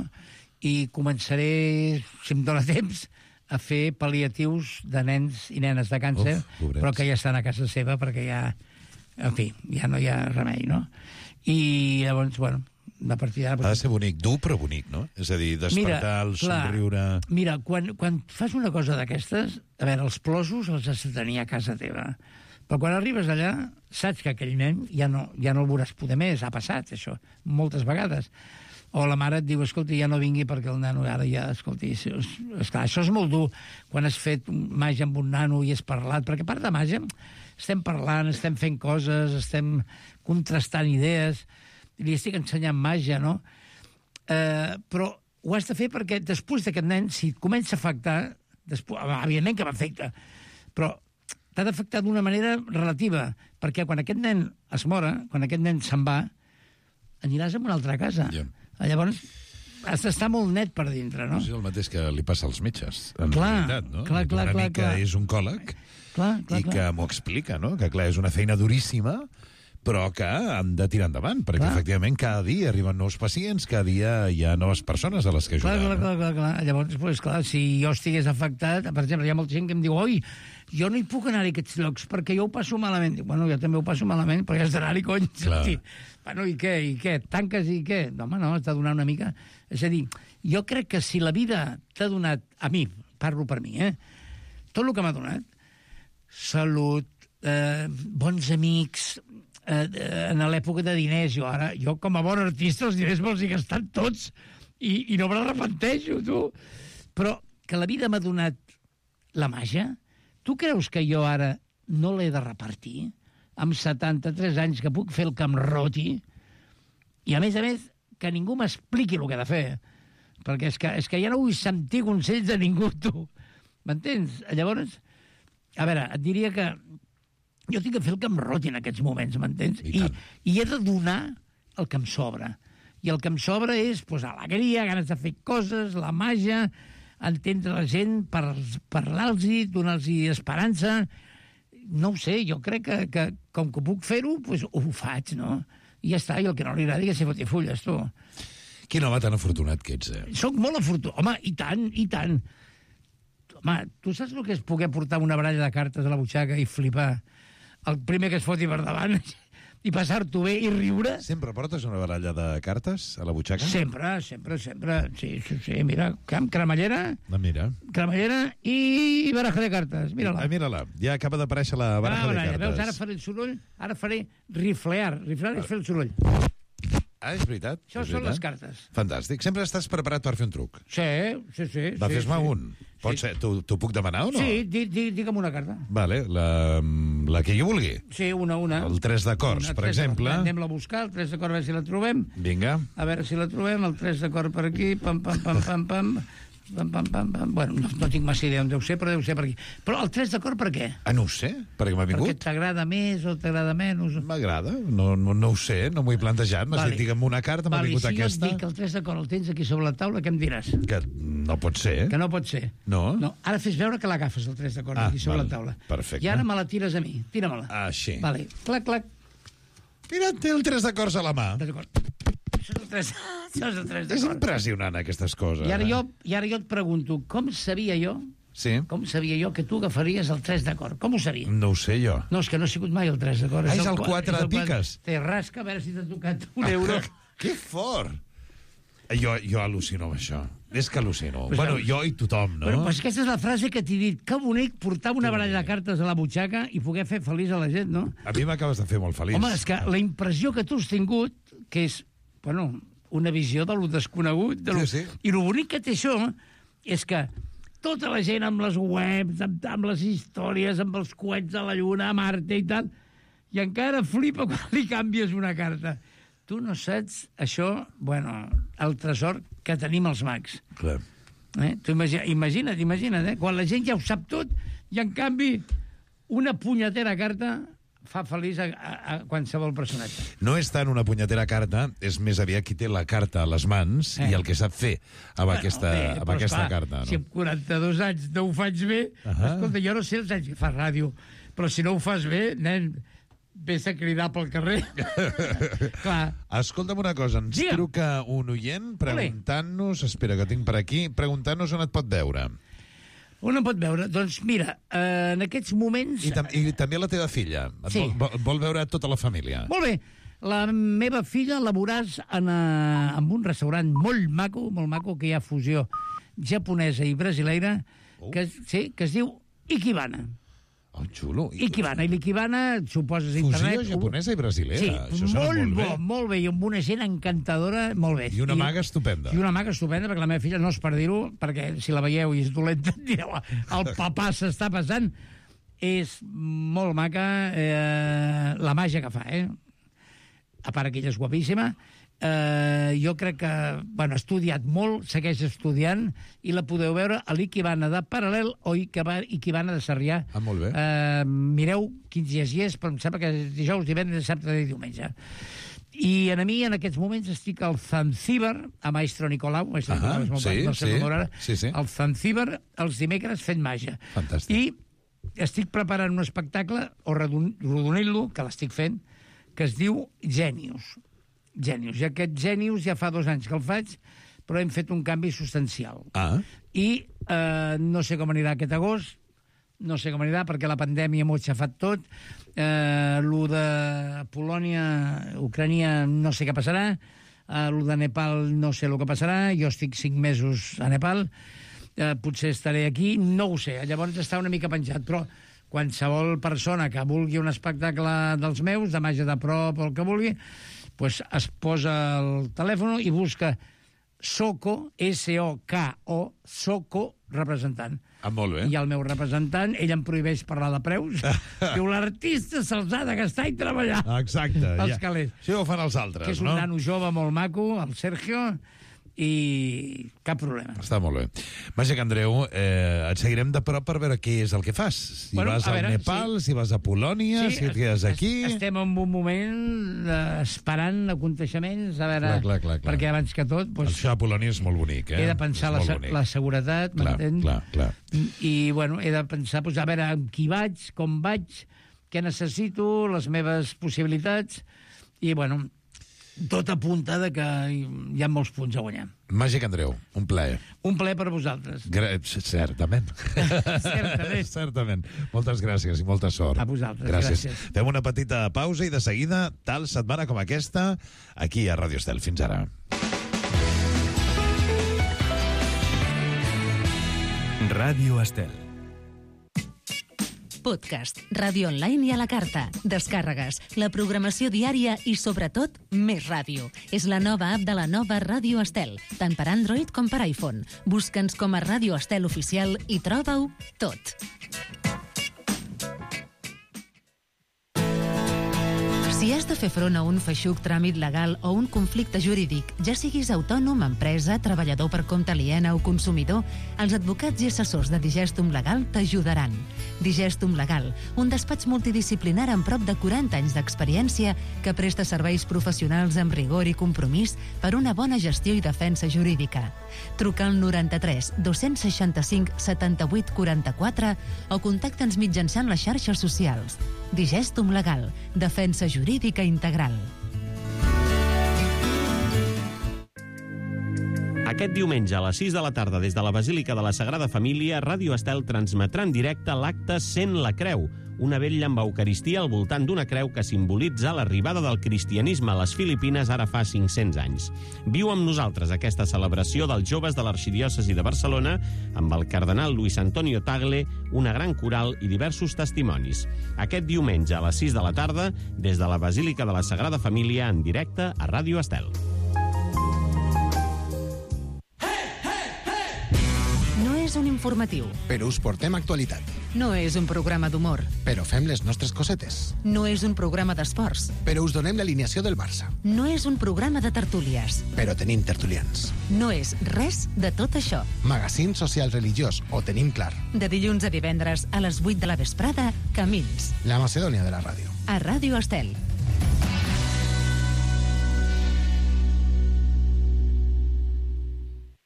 i començaré, si em dóna temps, a fer pal·liatius de nens i nenes de càncer, però que ja estan a casa seva perquè ja En fi, ja no hi ha remei, no? I llavors, bueno, a partir d'ara... Ha de ser bonic, dur però bonic, no? És a dir, despertar, el somriure... Mira, quan fas una cosa d'aquestes, a veure, els plosos els has de tenir a casa teva. Però quan arribes allà, saps que aquell nen ja no el veuràs poder més. Ha passat, això, moltes vegades. O la mare et diu, escolti, ja no vingui perquè el nano ara ja... Escolti, esclar, això és molt dur quan has fet màgia amb un nano i has parlat, perquè a part de màgia estem parlant, estem fent coses, estem contrastant idees, li estic ensenyant màgia, no? Però ho has de fer perquè després d'aquest nen, si et comença a afectar, evidentment que m'afecta, però t'ha d'afectar d'una manera relativa, perquè quan aquest nen es mora, quan aquest nen se'n va, aniràs a una altra casa. Yeah. Llavors, has d'estar molt net per dintre, no? És el mateix que li passa als metges, en clar, realitat, no? Clar, un amic que és oncòleg i que m'ho explica, no? Que, clar, és una feina duríssima, però que han de tirar endavant, perquè efectivament cada dia arriben nous pacients, cada dia hi ha noves persones a les que ajudar. Clar. Llavors, pues, clar, si jo estigués afectat, per exemple, hi ha molta gent que em diu, oi, jo no hi puc anar a aquests llocs perquè jo ho passo malament. Dic, bueno, jo també ho passo malament, però ja has d'anar-hi, cony. Bueno, i què? Tanques i què? No, home, no, has de donar una mica... És a dir, jo crec que si la vida t'ha donat, a mi, parlo per mi, tot el que m'ha donat, salut, bons amics, en l'època de diners, jo com a bon artista els diners me'ls he gastat tots i no me l'arrepenteixo, tu. Però que la vida m'ha donat la màgia, tu creus que jo ara no l'he de repartir? Amb 73 anys que puc fer el que em roti i a més, que ningú m'expliqui el que he de fer. Perquè és que ja no vull sentir consells de ningú, tu. M'entens? Llavors, a veure, et diria que jo tinc que fer el que em roti en aquests moments, m'entens? I he de donar el que em sobra. I el que em sobra és alegria, ganes de fer coses, la màgia, entendre la gent, parlar-los, donar-los esperança. No ho sé, jo crec que com que puc fer-ho, ho faig, no? I ja està, i el que no li agradi que se foti fulles, tu. Quin home tan afortunat que ets, Soc molt afortunat. Home, i tant. Home, tu saps el que és poder portar una baralla de cartes a la butxaca i flipar el primer que es foti per davant i passar-t'ho bé i riure? Sempre portes una baralla de cartes a la butxaca? Sempre. Sí, mira, cremallera, cremallera i baraja de cartes. Mira-la. Mira-la, ja acaba d'aparèixer la baraja de cartes. Veus, ara faré el soroll, ara faré riflear. Riflear és fer el soroll. Ah, és veritat. Això són les cartes. Fantàstic. Sempre estàs preparat per fer un truc. Sí. Va, fes-me un. Pot ser, t'ho puc demanar o no? Sí, digue'm una carta. Vale, la que jo vulgui. Sí, una. El 3 d'acords, per exemple. Anem-la a buscar, el 3 d'acord, a veure si la trobem. Vinga. A veure si la trobem, el 3 d'acord per aquí, pam. Bueno, no tinc massa idea on deu ser, però deu ser per aquí. Però el 3 d'acord per què? No ho sé, perquè m'ha vingut. Perquè t'agrada més o t'agrada menys? M'agrada, no ho sé, no m'ho he plantejat. M'has dit, digue'm una carta, m'ha vingut aquesta. Si jo et dic que el 3 d'acord el tens aquí sobre la taula, què em diràs? Que no pot ser. Que no pot ser. No? Ara fes veure que l'agafes, el 3 d'acord, aquí sobre la taula. Perfecte. I ara me la tires a mi. Tira-me-la. Així. Vale, clac. Mira, té el 3 d'acords a la mà. Això és el 3 d'acord. És impressionant, aquestes coses. I ara jo et pregunto, com sabia jo que tu agafaries el 3 d'acord? Com ho sabia? No ho sé jo. No, és que no ha sigut mai el 3 d'acord. És el 4 de piques. Te rasca, a veure si t'ha tocat €1. Que fort! Jo al·lucino amb això. És que al·lucino. Bueno, jo i tothom, no? Bueno, pues aquesta és la frase que t'he dit. Que bonic portar una baralla de cartes a la butxaca i poder fer feliç a la gent, no? A mi m'acabes de fer molt feliç. Home, és que la impressió que tu has tingut, que és, una visió de lo desconegut, Sí. I el bonic que té això és que tota la gent amb les webs, amb les històries, amb els coets a la Lluna, a Marte i tal, i encara flipa quan li canvies una carta. Tu no saps això, el tresor que tenim els mags. Clar. Tu imagina't, quan la gent ja ho sap tot i, en canvi, una punyetera carta fa feliç a qualsevol personatge. No és tant una punyetera carta, és més aviat qui té la carta a les mans i el que sap fer amb aquesta carta. No? Si amb 42 anys no ho faig bé, escolta, jo no sé els anys que fas ràdio, però si no ho fas bé, nen, vés a cridar pel carrer. Clar. Escolta'm una cosa, ens truca un oient preguntant-nos, espera que tinc per aquí, preguntant-nos on et pot veure. On em pot veure? Doncs mira, en aquests moments... I també la teva filla. Sí. Vol veure tota la família. Molt bé. La meva filla la veuràs en un restaurant molt maco, que hi ha fusió japonesa i brasileira, que es diu Ikebana. Oh, xulo. Ikebana. I l'Ikebana, suposes internet... Fusió japonesa i brasilera. Sí, molt bé. I amb una gent encantadora, molt bé. I una maga estupenda. Perquè la meva filla, no es per dir-ho, perquè si la veieu i és dolenta, direu, el papà s'està passant. És molt maca la màgia que fa, A part que ella és guapíssima. Jo crec que, ha estudiat molt, segueix estudiant, i la podeu veure a l'Ikebana de Paral·lel o Ikebana de Sarrià. Molt bé. Mireu quins dies hi és, però em sembla que és dijous, divendres, dissabte i diumenge. I a mi, en aquests moments, estic al Zanzíbar, a Maestro Nicolau, el Zanzíbar, els dimecres fent màgia. Fantàstic. I estic preparant un espectacle, o rodonint-lo, que l'estic fent, que es diu Genius. I aquest Genius ja fa 2 anys que el faig, però hem fet un canvi substancial. I no sé com anirà aquest agost, no sé com anirà, perquè la pandèmia m'ho ha xafat tot. Lo de Polònia, Ucrània, no sé què passarà. Lo de Nepal, no sé el que passarà. Jo estic 5 mesos a Nepal. Potser estaré aquí, no ho sé. Llavors està una mica penjat, però qualsevol persona que vulgui un espectacle dels meus, de màgia de prop o el que vulgui, pues es posa el telèfon i busca Soco, S-O-K-O, Soco, representant. Molt bé. I el meu representant, ell em prohibeix parlar de preus. Diu, l'artista se'ls ha de gastar i treballar. Exacte. Els calés. Això ho fan els altres, que és un nano jove molt maco, el Sergio, i cap problema. Està molt bé. Màgic Andreu, et seguirem de prop per veure què és el que fas. Si vas al Nepal, si vas a Polònia, si et quedes aquí... Estem en un moment esperant aconteixements, a veure... Clar. Perquè abans que tot... Això a Polònia és molt bonic, He de pensar la seguretat, m'entens? Clar. I, he de pensar, a veure amb qui vaig, com vaig, què necessito, les meves possibilitats, i, tot apunta que hi ha molts punts a guanyar. Màgic Andreu, un plaer. Un plaer per vosaltres. Certament. Certament. Moltes gràcies i molta sort. A vosaltres, gràcies. Fem una petita pausa i de seguida, tal setmana com aquesta, aquí a Ràdio Estel. Fins ara. Ràdio Estel. Podcast, ràdio online i a la carta, descàrregues, la programació diària i, sobretot, més ràdio. És la nova app de la nova Ràdio Estel, tant per Android com per iPhone. Busca'ns com a Ràdio Estel Oficial i troba-ho tot. Si has de fer front a un feixuc tràmit legal o un conflicte jurídic, ja siguis autònom, empresa, treballador per compte aliena o consumidor, els advocats i assessors de Digestum Legal t'ajudaran. Digestum Legal, un despatx multidisciplinar amb prop de 40 anys d'experiència que presta serveis professionals amb rigor i compromís per una bona gestió i defensa jurídica. Truca al 93 265 78 44 o contacta'ns mitjançant les xarxes socials. Digestum Legal, defensa jurídica integral. Aquest diumenge a les 6 de la tarda des de la Basílica de la Sagrada Família, Ràdio Estel transmetrà en directe l'acte Sent la Creu, una vetlla amb Eucaristia al voltant d'una creu que simbolitza l'arribada del cristianisme a les Filipines ara fa 500 anys. Viu amb nosaltres aquesta celebració dels joves de l'Arxidiòcesi de Barcelona amb el cardenal Luis Antonio Tagle, una gran coral i diversos testimonis. Aquest diumenge a les 6 de la tarda des de la Basílica de la Sagrada Família en directe a Ràdio Estel. No és un informatiu. Però us portem actualitat. No és un programa d'humor. Però fem les nostres cosetes. No és un programa d'esports. Però us donem l'alineació del Barça. No és un programa de tertúlies. Però tenim tertulians. No és res de tot això. Magazín social religiós, ho tenim clar. De dilluns a divendres a les 8 de la vesprada, Camins. La Macedònia de la ràdio. A Ràdio Estel.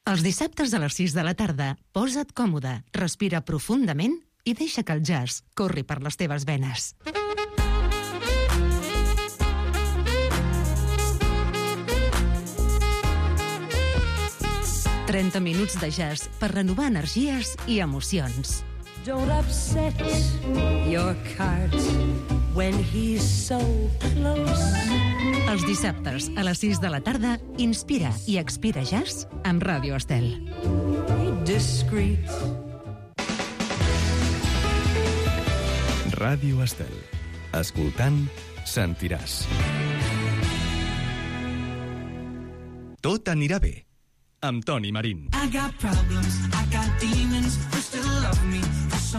Els dissabtes a les 6 de la tarda, posa't còmode, respira profundament i deixa que el jazz corri per les teves venes. 30 minuts de jazz per renovar energies i emocions. Don't upset your cart when he's so close. Els dissabtes a les 6 de la tarda, Inspira i Expira Jazz amb Ràdio Estel. Discreet. Ràdio Estel. Escoltant, sentiràs. Tot anirà bé, amb Toni Marín.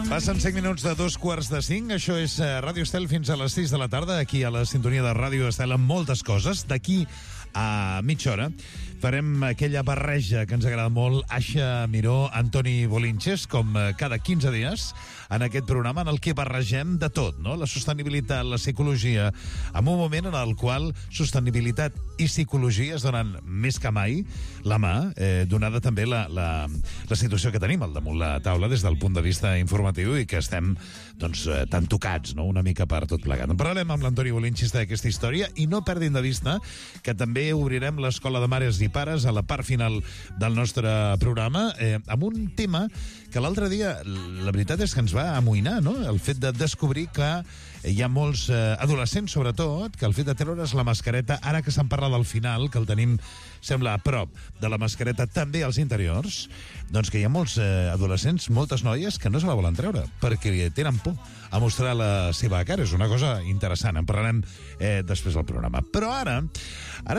Passen 5 minuts de 2:45. Això és Ràdio Estel fins a les 6 de la tarda, aquí a la sintonia de Ràdio Estel amb moltes coses. D'aquí a mitja hora farem aquella barreja que ens agrada molt, Aixa Miró, Antoni Bolinches, com cada 15 dies, en aquest programa en el que barregem de tot, no? La sostenibilitat, la psicologia, en un moment en el qual sostenibilitat i psicologia es donen més que mai la mà, donada també la situació que tenim al damunt la taula des del punt de vista informatiu i que estem doncs, tan tocats, no? Una mica per tot plegat. En parlarem amb l'Antoni Bolinches d'aquesta història i no perdin de vista que també obrirem l'Escola de Mares i Pares a la part final del nostre programa amb un tema que l'altre dia, la veritat és que ens va amoïnar, no? El fet de descobrir que hi ha molts adolescents, sobretot, que el fet de treure's la mascareta, ara que se'n parla del final, que el tenim, sembla, a prop de la mascareta també als interiors, doncs que hi ha molts adolescents, moltes noies, que no se la volen treure, perquè tenen por a mostrar la seva cara. És una cosa interessant, en parlarem després del programa. Però ara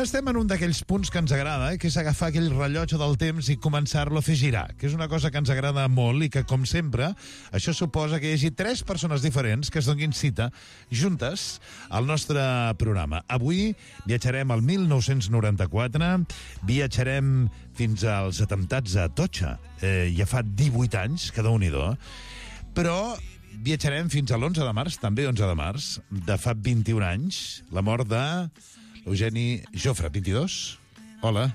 estem en un d'aquells punts que ens agrada, que és agafar aquell rellotge del temps i començar-lo a fer girar, que és una cosa que ens agrada molt i que, com sempre, això suposa que hi hagi 3 persones diferents que es donin cita juntes al nostre programa. Avui viatjarem al 1994, viatjarem fins als atemptats a Atocha, ja fa 18 anys, que Déu-n'hi-do, però viatjarem fins a l'11 de març, també 11 de març, de fa 21 anys, la mort de Eugeni Jofre, 22. Hola,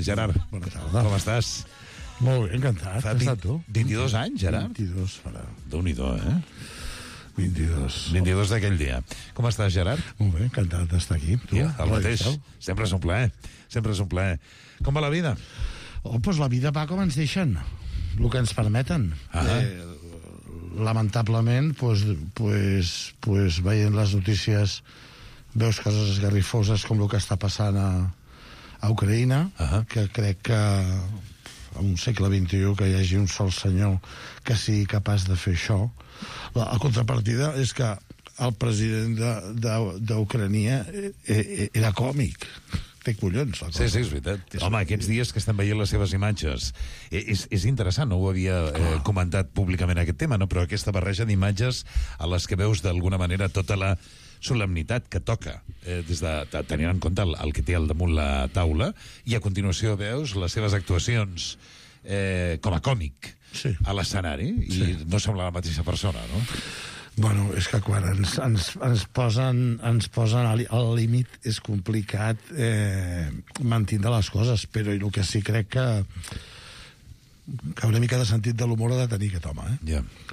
Gerard. Bona tarda. Com estàs? Molt bé, encantat. Fa 22 anys, Gerard? 22, farà. Déu-n'hi-do, 22. 22 d'aquell dia. Com estàs, Gerard? Molt bé, encantat d'estar aquí. Tu? Ja, el mateix. Sempre és un plaer. Sempre és un plaer. Com va la vida? Doncs la vida va com ens deixen, el que ens permeten. Lamentablement, veient les notícies, veus coses esgarrifoses com el que està passant a Ucraïna, que crec que en un segle XXI que hi hagi un sol senyor que sigui capaç de fer això. La contrapartida és que el president d'Ucrània era còmic. Té collons, la cosa. Sí, és veritat. Home, aquests dies que estem veient les seves imatges, és interessant, no ho havia comentat públicament aquest tema, no? Però aquesta barreja d'imatges a les que veus d'alguna manera tota la solemnitat que toca, tenint en compte el que té al damunt la taula, i a continuació veus les seves actuacions com a còmic a l'escenari, i no sembla la mateixa persona, no? Bueno, és que quan ens posen al límit és complicat mantindre les coses, però el que sí crec que una mica de sentit de l'humor ha de tenir aquest home,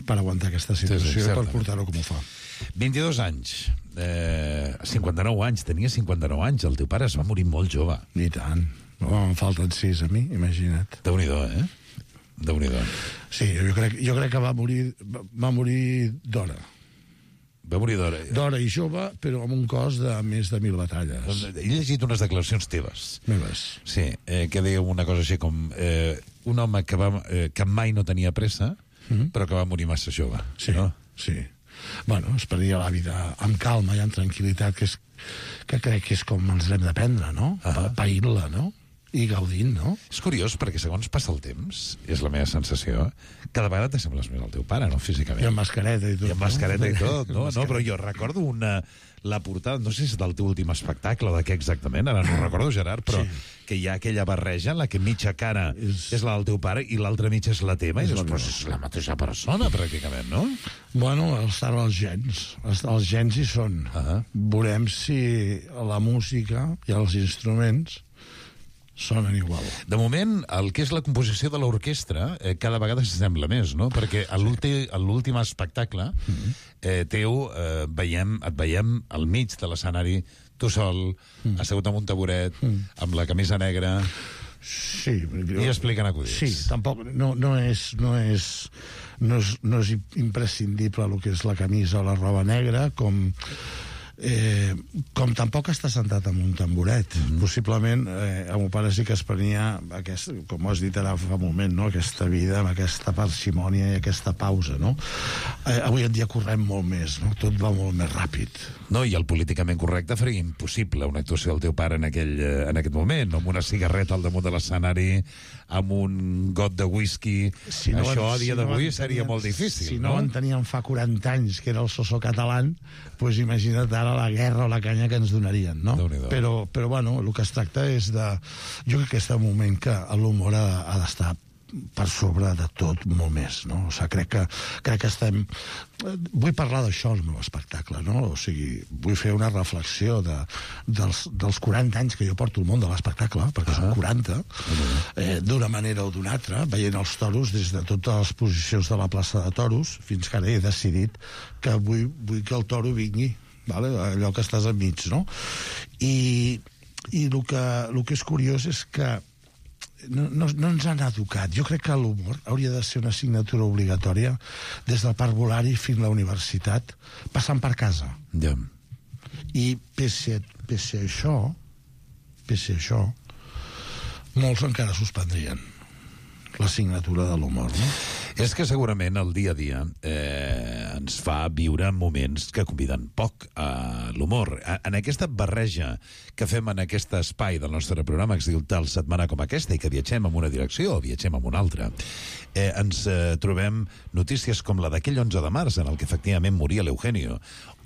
per aguantar aquesta situació i per portar-ho com ho fa. 22 anys, 59 anys, tenia 59 anys, el teu pare es va morir molt jove. Ni tant, em falten 6 a mi, imagina't. Déu-n'hi-do, Déu-n'hi-do. Sí, jo crec que va morir d'hora. Va morir d'hora. D'hora i jove, però amb un cos de més de 1000 batalles. He llegit unes declaracions teves. Meves. Sí, que deia una cosa així com un home que mai no tenia pressa, però que va morir massa jove. Sí, no? Sí. Bueno, es prenia la vida amb calma i amb tranquil·litat, que crec que és com ens l'hem de prendre, no? Paint-la, no? I gaudint, no? És curiós, perquè segons passa el temps, és la meva sensació, cada vegada t'assembles més al teu pare, no? Físicament. I amb mascareta i tot. I amb mascareta i tot, no? No, però jo recordo la portada, no sé si és del teu últim espectacle, de què exactament, ara no ho recordo, Gerard, però que hi ha aquella barreja en la que mitja cara és la del teu pare i l'altra mitja és la teva, i després és la mateixa persona, pràcticament, no? Bueno, estan els gens. Els gens hi són. Veurem si la música i els instruments sonen igual. De moment, el que és la composició de l'orquestra cada vegada s'assembla més, no? Perquè a l'últim espectacle teu et veiem al mig de l'escenari, tu sol, assegut amb un taburet, amb la camisa negra, Sí. I expliquen acudits. Sí, tampoc no és imprescindible el que és la camisa o la roba negra, com tampoc està sentat amb un tamboret. Possiblement el meu pare sí que es prenia com ho has dit ara fa un moment, no? Aquesta vida amb aquesta parsimònia i aquesta pausa, no? Avui en dia correm molt més, no? Tot va molt més ràpid. No, i el políticament correcte faria impossible una actuació del teu pare en aquest moment, amb una cigarreta al damunt de l'escenari, amb un got de whisky. Això a dia d'avui seria molt difícil. Si no en teníem fa 40 anys, que era el Sosó català, doncs imagina't ara la guerra o la canya que ens donarien, no? Però bueno, el que es tracta és de... Jo crec que és el moment que l'humor ha d'estar per sobre de tot molt més, no? O sigui, crec que estem... Vull parlar d'això al meu espectacle, no? O sigui, vull fer una reflexió dels 40 anys que jo porto al món de l'espectacle, perquè són 40, d'una manera o d'una altra, veient els toros des de totes les posicions de la plaça de toros, fins que ara he decidit que vull que el toro vingui, vale? Allò que estàs enmig, no? I el que és curiós és que no ens han educat. Jo crec que l'humor hauria de ser una assignatura obligatòria des del parvulari fins a la universitat, passant per casa. Ja. I pese a això, molts encara suspendrien l'assignatura de l'humor, no? És que segurament el dia a dia ens fa viure moments que conviden poc a l'humor. En aquesta barreja que fem en aquest espai del nostre programa, que es diu Tal setmana com aquesta, i que viatgem en una direcció o viatgem en una altra, ens trobem notícies com la d'aquell 11 de març, en el que efectivament moria l'Eugenio,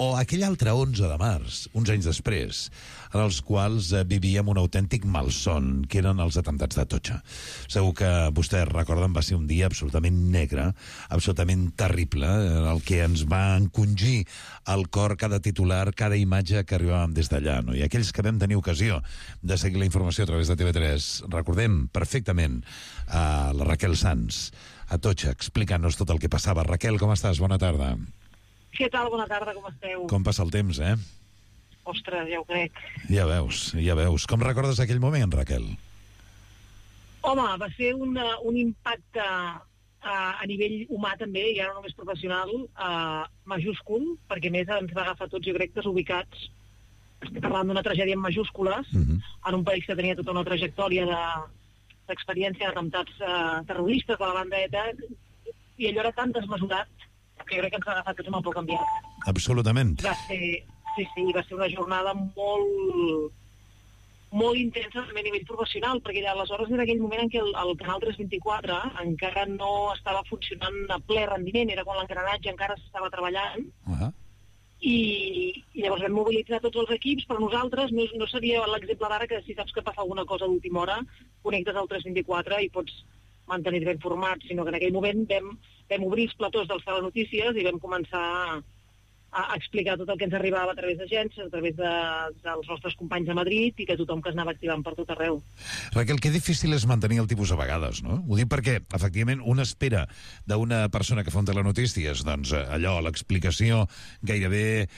o aquell altre 11 de març, uns anys després, en els quals vivíem un autèntic malson, que eren els atemptats d'Atocha. Segur que vostès recorden, va ser un dia absolutament negre, absolutament terrible, en el que ens va encongir al cor cada titular, cada imatge que arribàvem des d'allà, no? I aquells que vam tenir ocasió de seguir la informació a través de TV3, recordem perfectament a la Raquel Sanz, a Atocha, explicant-nos tot el que passava. Raquel, com estàs? Bona tarda. Què tal? Bona tarda, com esteu? Com passa el temps, Ostres, ja ho crec. Ja veus. Com recordes aquell moment, Raquel? Home, va ser un impacte a nivell humà també, i ara no només professional, majúscul, perquè més ens va agafar tots, jo crec, desubicats. Estic parlant d'una tragèdia en majúscules, en un país que tenia tota una trajectòria d'experiència d'atemptats terroristes de la banda ETA, i allò era tan desmesurat que jo crec que ens va agafar tots amb el poc canviat. Absolutament. Va ser una jornada molt intensa també a nivell professional, perquè aleshores era aquell moment en què el Canal 324 encara no estava funcionant a ple rendiment, era quan l'engranatge encara s'estava treballant, i llavors vam mobilitzar tots els equips, però nosaltres no seria l'exemple d'ara que si saps que passa alguna cosa a l'última hora, connectes al 324 i pots mantenir-te informats, sinó que en aquell moment vam obrir els platós dels telenotícies i vam començar a explicar tot el que ens arribava a través d'agències, a través dels nostres companys a Madrid, i que tothom que es anava activant per tot arreu. Raquel, que difícil és mantenir el tipus a vegades, no? Ho dic perquè, efectivament, una espera d'una persona que fa un telenotícies, doncs allò, l'explicació gairebé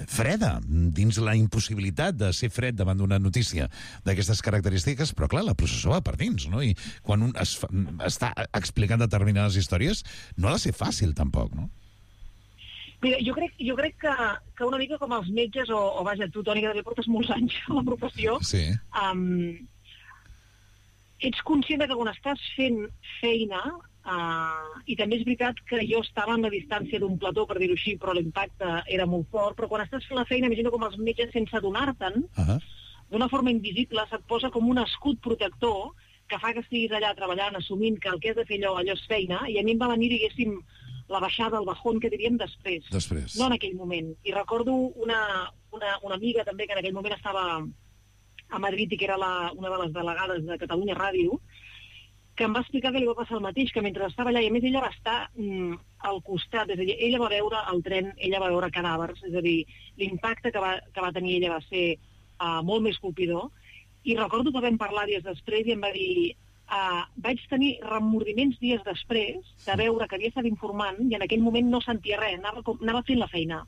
freda, dins la impossibilitat de ser fred davant d'una notícia d'aquestes característiques, però clar, la processó va per dins, no? I quan un està explicant determinades històries, no ha de ser fàcil, tampoc, no? Mira, jo crec que una mica com els metges, o vaja, tu, Toni, que també portes molts anys a la professió, ets conscient que quan estàs fent feina, i també és veritat que jo estava en la distància d'un plató, per dir-ho així, però l'impacte era molt fort, però quan estàs fent la feina, imagino com els metges, sense adonar-te'n, d'una forma invisible, se't posa com un escut protector que fa que estiguis allà treballant, assumint que el que has de fer allò és feina, i a mi em va venir, diguéssim, la baixada, el bajón, que diríem després. No en aquell moment. I recordo una amiga també que en aquell moment estava a Madrid i que era una de les delegades de Catalunya Ràdio, que em va explicar que li va passar el mateix, que mentre estava allà, i a més ella va estar al costat, és a dir, ella va veure el tren, ella va veure cadàvers, és a dir, l'impacte que va tenir ella va ser molt més colpidor, i recordo que vam parlar dies després i em va dir... vaig tenir remordiments dies després de veure que havia estat informant i en aquell moment no sentia res, anava fent la feina.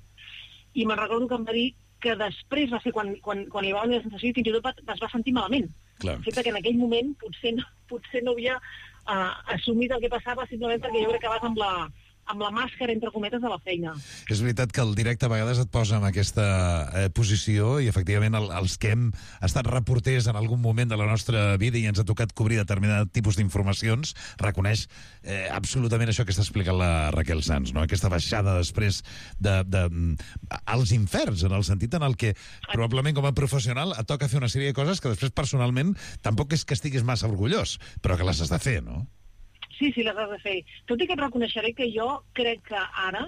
I me'n recordo que em va dir que després va ser quan hi va haver la sensació i fins i tot es va sentir malament, El fet que en aquell moment potser no havia assumit el que passava simplement perquè jo crec que vas amb la màscara, entre cometes, de la feina. És veritat que el directe a vegades et posa en aquesta posició i, efectivament, els que hem estat reporters en algun moment de la nostra vida i ens ha tocat cobrir determinat tipus d'informacions, reconeix absolutament això que està explicant la Raquel Sans, no? Aquesta baixada després als inferns, en el sentit en el que probablement com a professional et toca fer una sèrie de coses que després personalment tampoc és que estiguis massa orgullós, però que les has de fer, no? Sí, les has de fer. Tot i que et reconeixeré que jo crec que ara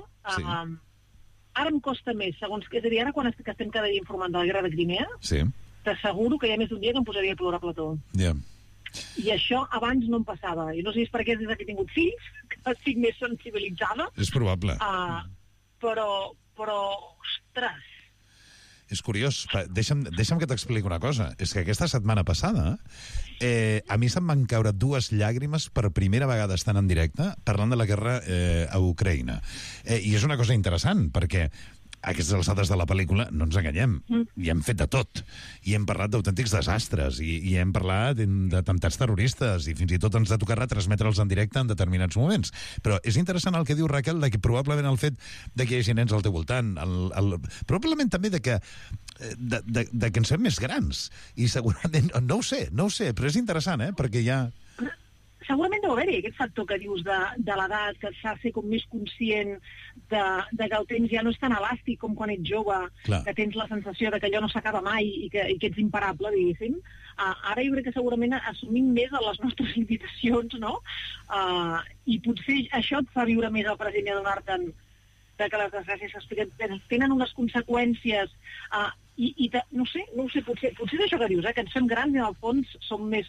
em costa més, segons que és a dir, ara quan estem cada dia informant de la guerra de Crimea, t'asseguro que hi ha més d'un dia que em posaria a plorar a plató. I això abans no em passava. I no sé si és perquè des que he tingut fills, que estic més sensibilitzada. És probable. Però, ostres... És curiós. Deixa'm que t'expliqui una cosa. És que aquesta setmana passada a mi se'm van caure 2 llàgrimes per primera vegada estant en directe parlant de la guerra a Ucraïna. I és una cosa interessant, perquè a aquestes alçades de la pel·lícula, no ens enganyem, i hem fet de tot. I hem parlat d'autèntics desastres, i hem parlat d'atemptats terroristes, i fins i tot ens ha tocat retransmetre'ls en directe en determinats moments. Però és interessant el que diu Raquel, de que probablement el fet de que hi hagi nens al teu voltant, probablement també de que ens fem més grans, i segurament, no ho sé, però és interessant, perquè hi ha... Segurament deu haver-hi aquest factor que dius de l'edat, que et fa ser com més conscient de que el temps ja no és tan elàstic com quan ets jove, que tens la sensació de que allò no s'acaba mai i que ets imparable, diguéssim. Ara jo crec que segurament assumim més les nostres limitacions, no? I potser això et fa viure més el present i adonar-te'n que les desgràcies tenen unes conseqüències i no sé, potser és això que dius, que ens fem grans i en el fons som més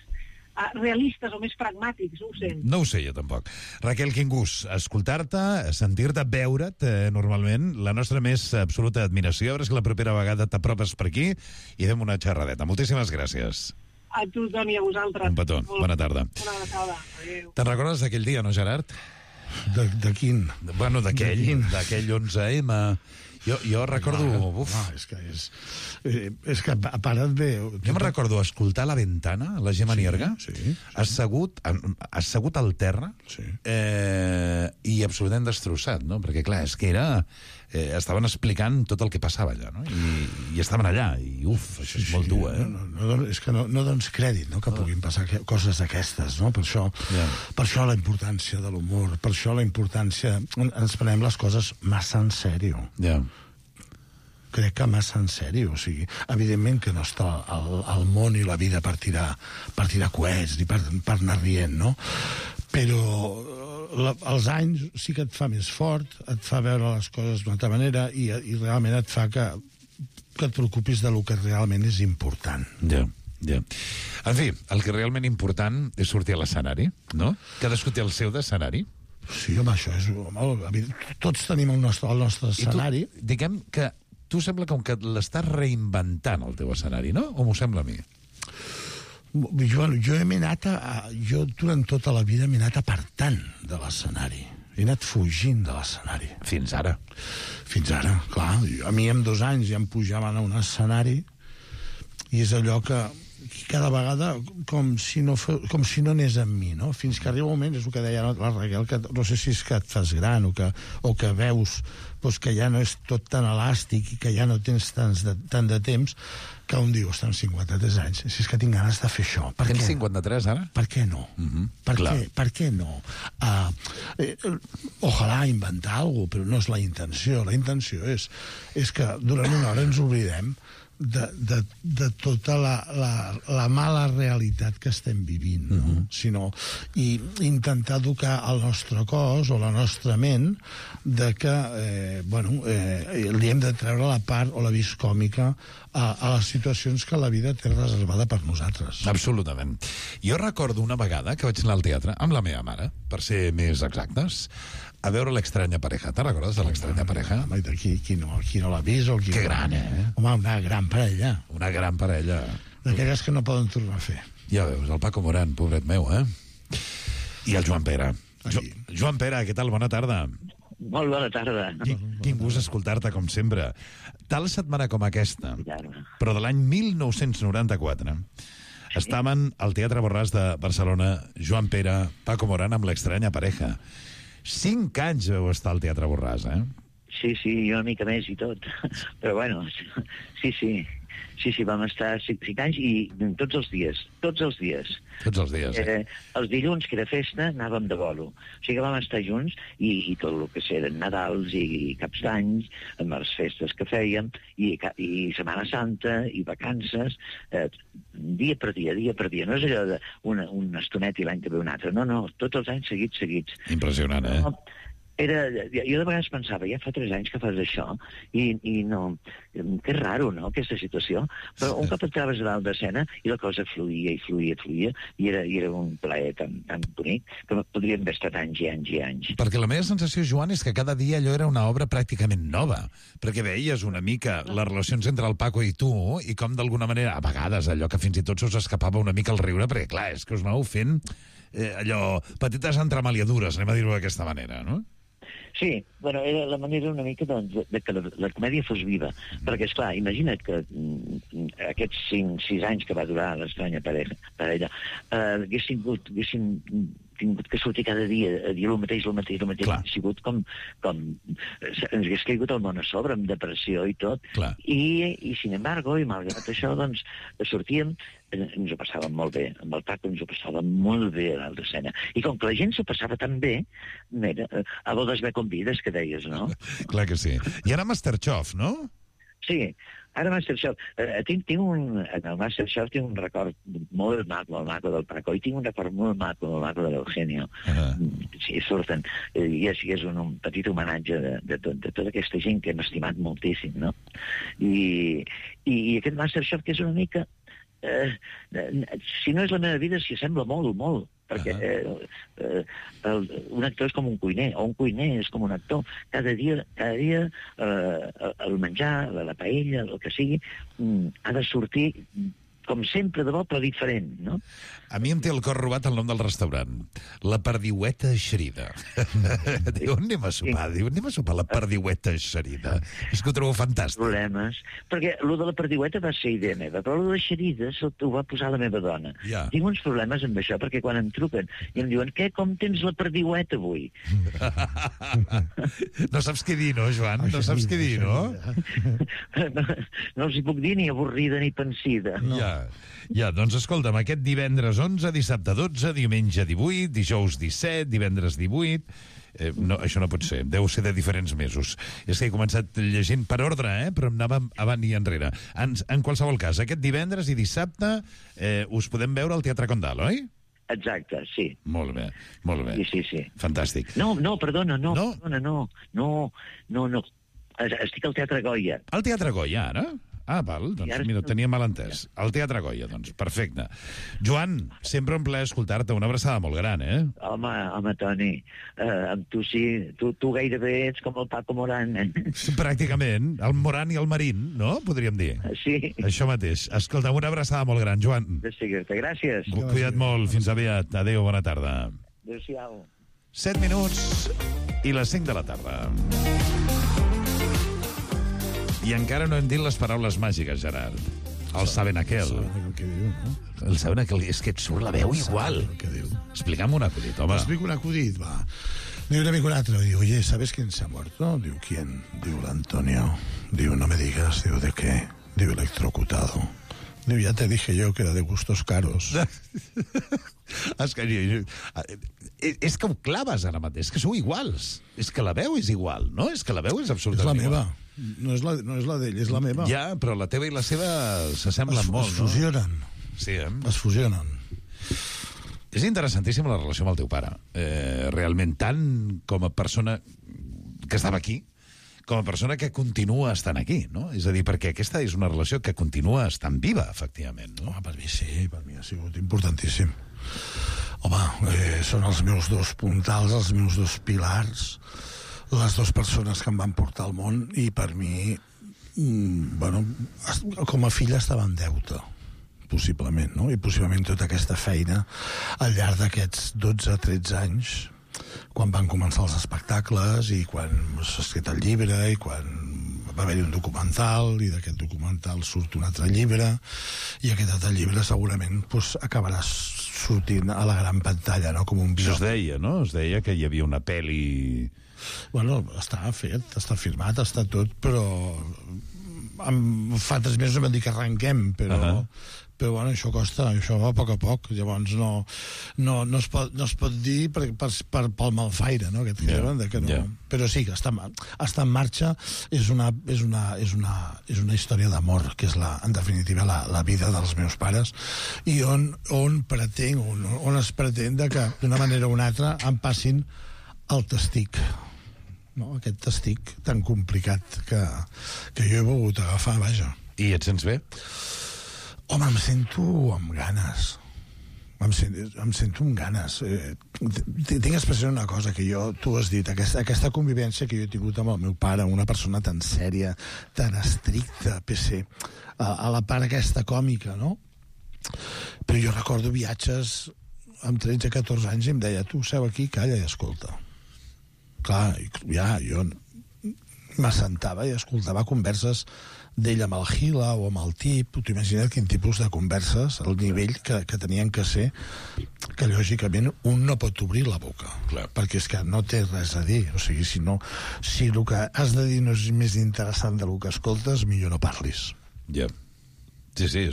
realistes o més pragmàtics, no ho sé. No ho sé jo tampoc. Raquel, quin gust escoltar-te, sentir-te, veure't normalment, la nostra més absoluta admiració. A veure si la propera vegada t'apropes per aquí i fem una xerradeta. Moltíssimes gràcies. A tu, Toni, a vosaltres. Un petó. Bona tarda. Una abraçada. Adéu. Te'n recordes d'aquell dia, no, Gerard? De quin? Bueno, d'aquell 11M... Jo recordo... És que a part et ve... Jo me'n recordo escoltar La Ventana, la Gemma Nierga, assegut al terra i absolutament destrossat, no? Perquè, clar, és que estaven explicant tot el que passava allà, no? I estaven allà, i això és molt dur, És que no dones crèdit, no?, que puguin passar coses d'aquestes, no? Per això la importància de l'humor, per això la importància... Ens prenem les coses massa en sèrio. Crec que massa en sèrio, o sigui, evidentment que no està el món i la vida per tirar coets i per anar rient, no? Però els anys sí que et fa més fort, et fa veure les coses d'una altra manera i realment et fa que et preocupis de lo que realment és important. En fi, el que realment important és sortir a l'escenari, no? Cadascú té el seu d'escenari. Sí, home, això és... Tots tenim el nostre escenari. I tu, diguem que tu sembla com que l'estàs reinventant, el teu escenari, no? O m'ho sembla a mi? Jo durant tota la vida m'he anat apartant de l'escenari. He anat fugint de l'escenari. Fins ara? Fins ara, clar. A mi amb 2 anys ja em pujaven a un escenari i és allò que cada vegada com si no anés amb mi, no? Fins que arriba un moment, és el que deia la Raquel, que no sé si és que et fas gran o que veus que ja no és tot tan elàstic i que ja no tens tant de temps, que un diu, amb 53 anys, si és que tinc ganes de fer això. Tens 53 ara? Per què no? Per què no? Ojalà inventar alguna cosa, però no és la intenció. La intenció és que durant una hora ens oblidem de tota la mala realitat que estem vivint, no? I intentar educar el nostre cos o la nostra ment de que li hem de treure la part o la vis còmica a les situacions que la vida té reservada per nosaltres. Absolutament. Jo recordo una vegada que vaig anar al teatre amb la meva mare, per ser més exactes, a veure l'Extraña Pareja. Te'n recordes de l'Extraña Pareja? Home, qui no l'ha vist o qui... Que gran, Home, una gran parella. Una gran parella. D'aquelles que no poden tornar a fer. Ja veus, el Paco Morán, pobret meu, I el Joan Pere. Joan Pere, què tal? Bona tarda. Molt bona tarda. Quin gust escoltar-te, com sempre. Tal setmana com aquesta, però de l'any 1994, Estaven al Teatre Borràs de Barcelona, Joan Pere, Paco Morán, amb l'Estranya Pareja. 5 anys vau estar al Teatre Borràs, eh? Sí, jo una mica més i tot. Però bueno, sí, vam estar 5 anys i tots els dies. Tots els dies, Els dilluns, que era festa, anàvem de bolo. O sigui que vam estar junts i tot el que eren Nadals i Caps d'Any, amb les festes que fèiem, i Setmana Santa, i vacances, dia per dia. No és allò d'un estonet i l'any que ve un altre. No, tots els anys seguits. Impressionant, eh? Jo de vegades pensava, ja fa 3 anys que fas això, i no... Que raro, no?, aquesta situació. Però un cop et trobes a dalt d'escena i la cosa fluïa, i era un plaer tan bonic que podríem haver estat anys i anys. Perquè la meva sensació, Joan, és que cada dia allò era una obra pràcticament nova, perquè veies una mica les relacions entre el Paco i tu, i com d'alguna manera, a vegades, allò que fins i tot s'us escapava una mica el riure, perquè clar, és que us anàveu fent allò, petites entremaliadures, anem a dir-ho d'aquesta manera, no? Sí, bueno, era la manera una mica de que la comèdia fos viva, perquè, esclar, imagina't que aquests 6 anys que va durar l'Estranya Parella haguessin tingut que sortir cada dia a dir el mateix, ha sigut com ens hagués caigut el món a sobre, amb depressió i tot. I sin embargo, i malgrat això, doncs, sortíem, ens ho passàvem molt bé, amb el Paco ens ho passàvem molt bé a l'altra escena. I com que la gent s'ho passava tan bé, a bodes ve convides, que deies, no? Clar que sí. I ara Masterchef, no? Sí, ara Masterchef. En el Masterchef tinc un record molt maco del Paco, i tinc un record molt maco de l'Eugenio. Sí, surten. I és un petit homenatge de tota aquesta gent que hem estimat moltíssim, no? I aquest Masterchef, que és una mica... si no és la meva vida, s'hi assembla molt, perquè un actor és com un cuiner, o un cuiner és com un actor. Cada dia el menjar, la paella, el que sigui, ha de sortir com sempre, de bo, però diferent, no? A mi em té el cor robat el nom del restaurant. La Perdiueta Eixerida. Diu, anem a sopar la Perdiueta Eixerida. És que ho trobo fantàstic. Problemes. Perquè el de la Perdiueta va ser idea meva, però el de l'Eixerida ho va posar la meva dona. Tinc uns problemes amb això, perquè quan em truquen i em diuen, com tens la Perdiueta avui? No saps què dir, no, Joan? No saps què dir, no? No els hi puc dir ni avorrida ni pensida. Ja, doncs escolta'm, aquest divendres 11, dissabte 12, diumenge 18, dijous 17, divendres 18... No, això no pot ser, deu ser de diferents mesos. És que he començat llegint per ordre, però em anava avant i enrere. En qualsevol cas, aquest divendres i dissabte us podem veure al Teatre Condal, oi? Exacte, sí. Molt bé. Sí. Fantàstic. No, perdona, no. Estic al Teatre Goya. Al Teatre Goya, ara? Ah, val, doncs mira, tenia mal entès. Al Teatre Goya, doncs, perfecte. Joan, sempre un plaer escoltar-te, una abraçada molt gran, eh? Home, Toni, amb tu sí, tu gairebé ets com el Paco Morán. Pràcticament, el Morán i el Marín, no? Podríem dir. Sí. Això mateix. Escolta, una abraçada molt gran, Joan. De seguir-te, gràcies. Cuida't molt, fins aviat. Adéu, bona tarda. Adéu-siau. 7 minuts i les 5 de la tarda. I encara no hem dit les paraules màgiques, Gerard. El saben aquel. El saben aquel. És que et surt la veu igual. Explica'm un acudit, home. Explico un acudit, va. Diu un amigo un otro, diu, oye, ¿sabes quién se ha muerto? Diu, ¿quién? Diu, el Antonio. Diu, no me digas. Diu, ¿de qué? Diu, electrocutado. Diu, ya te dije yo que era de gustos caros. És que ho claves ara mateix, és que sou iguals. És que la veu és igual, no? És que la veu és absolutament igual. És la meva. No és la d'ell, és la meva. Ja, però la teva i la seva s'assemblen molt, no? Es fusionen. Sí, Es fusionen. És interessantíssima la relació amb el teu pare. Realment, tant com a persona que estava aquí, com a persona que continua estant aquí, no? És a dir, perquè aquesta és una relació que continua estant viva, efectivament, no? Per mi sí, per mi ha sigut importantíssim. Home, són els meus 2 puntals, els meus 2 pilars, les 2 persones que em van portar al món, i per mi, com a fill estava en deute, possiblement, no? I possiblement tota aquesta feina al llarg d'aquests 12-13 anys, quan van començar els espectacles i quan s'ha escrit el llibre i quan va haver-hi un documental, i d'aquest documental surt un altre llibre, i aquest altre llibre segurament pues, acabarà sortint a la gran pantalla, no? Com un Això es deia, no? Es deia que hi havia una pel·li... Bueno, està fet, està firmat, està tot, però fa 3 mesos vam dir que arrenquem, però bueno, això costa, això va a poc, llavors no es pot dir pel malfaire, no? Però sí, que està en marxa, és una història d'amor, que és en definitiva la vida dels meus pares, i on es pretén que d'una manera o una altra em passin el testic, no? Aquest testic tan complicat que jo he volgut agafar, vaja. I et sents bé? Home, em sento amb ganes. Em sento amb ganes. Tinc expressió una cosa que tu has dit, aquesta convivència que jo he tingut amb el meu pare, una persona tan sèria, tan estricta, a la part aquesta còmica, no? Però jo recordo viatges amb 13-14 anys i em deia, tu seu aquí, calla i escolta. Clar, jo m'assentava i escoltava converses d'ell amb el Gila o amb el Tip. T'ho imagina't quin tipus de converses, el nivell que tenien que ser, que lògicament un no pot obrir la boca. Clar. Perquè és que no té res a dir. O sigui, si el que has de dir no és més interessant del que escoltes, millor no parlis. Ja. Sí,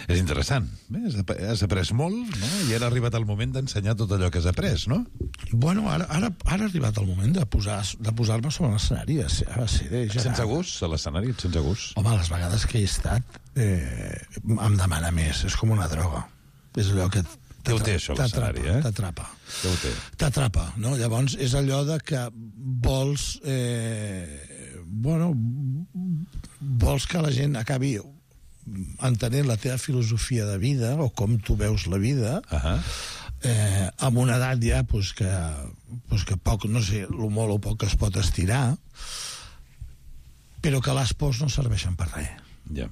és interessant. Has après molt, no? I ara ha arribat el moment d'ensenyar tot allò que has après, no? Bueno, ara ha arribat el moment de posar-me sobre l'escenari. Et sents a gust, a l'escenari? Et sents a gust? Home, les vegades que he estat em demana més. És com una droga. És allò que Què ho té, això, l'escenari, t'atrapa. Què ho té? T'atrapa, no? Llavors, és allò de que vols que la gent acabi entenent la teva filosofia de vida o com tu veus la vida, amb una edat ja que poc, no sé, el molt o poc que es pot estirar, però que les pors no serveixen per res. Ja.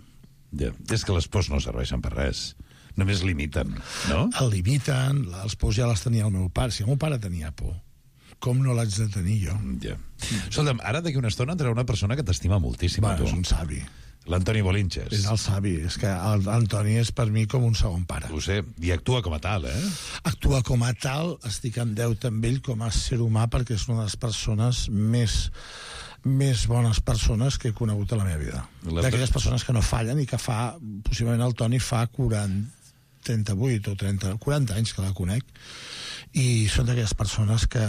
És que les pors no serveixen per res. Només limiten, no? El limiten, les pors ja les tenia el meu pare. Si el meu pare tenia por, com no l'haig de tenir jo? Ja. Escolta'm, ara d'aquí una estona entrarà una persona que t'estima moltíssim. És un savi. L'Antoni Bolinches. És el savi. És que l'Antoni és per mi com un segon pare. Ho sé. I actua com a tal, Actua com a tal. Estic en deute amb ell com a ser humà perquè és una de les persones més bones persones que he conegut a la meva vida. D'aquelles persones que no fallen i que possiblement el Toni fa 38 o 40 anys que la conec, i són d'aquelles persones que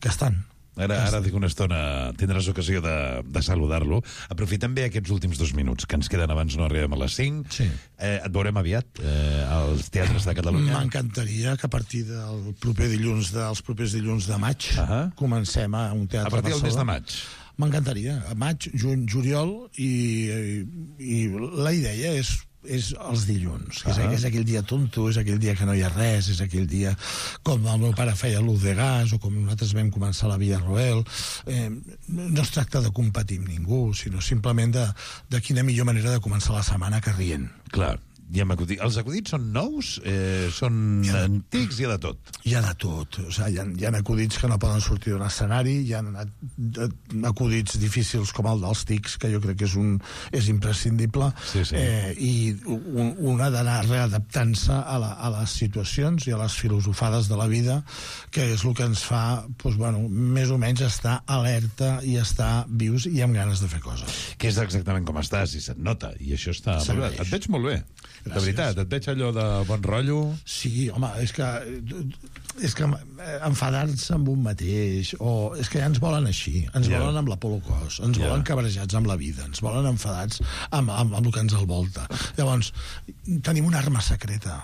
estan. Ara dic una estona, tindràs ocasió de saludar-lo. Aprofitem bé aquests últims 2 minuts que ens queden abans no arribem a les 5. Sí. Et veurem aviat als teatres de Catalunya. M'encantaria que a partir dels propers dilluns de maig comencem a un teatre a partir del mes de maig. M'encantaria. A maig, juny, juliol, i la idea és els dilluns, que és aquell dia tonto, és aquell dia que no hi ha res, és aquell dia com el meu pare feia l'ús de gas o com nosaltres vam començar la Via Roel. No es tracta de competir amb ningú, sinó simplement de quina millor manera de començar la setmana que rient. Clar. Els acudits són nous? Són antics? Hi ha de tot? Hi ha de tot. O sigui, hi ha acudits que no poden sortir d'un escenari, hi ha acudits difícils com el dels tics, que jo crec que és imprescindible, i una d'anar readaptant-se a les situacions i a les filosofades de la vida, que és el que ens fa, més o menys, estar alerta i estar vius i amb ganes de fer coses. Que és exactament com estàs, i se't nota, i això està molt bé. Et veig molt bé. Gràcies. De veritat, et veig allò de bon rotllo. Sí, home, és que enfadar-se amb un mateix, o és que ja ens volen així, ens volen amb l'Apollo-Cos, ens volen cabrejats amb la vida, ens volen enfadats amb el que ens envolta. Llavors, tenim una arma secreta,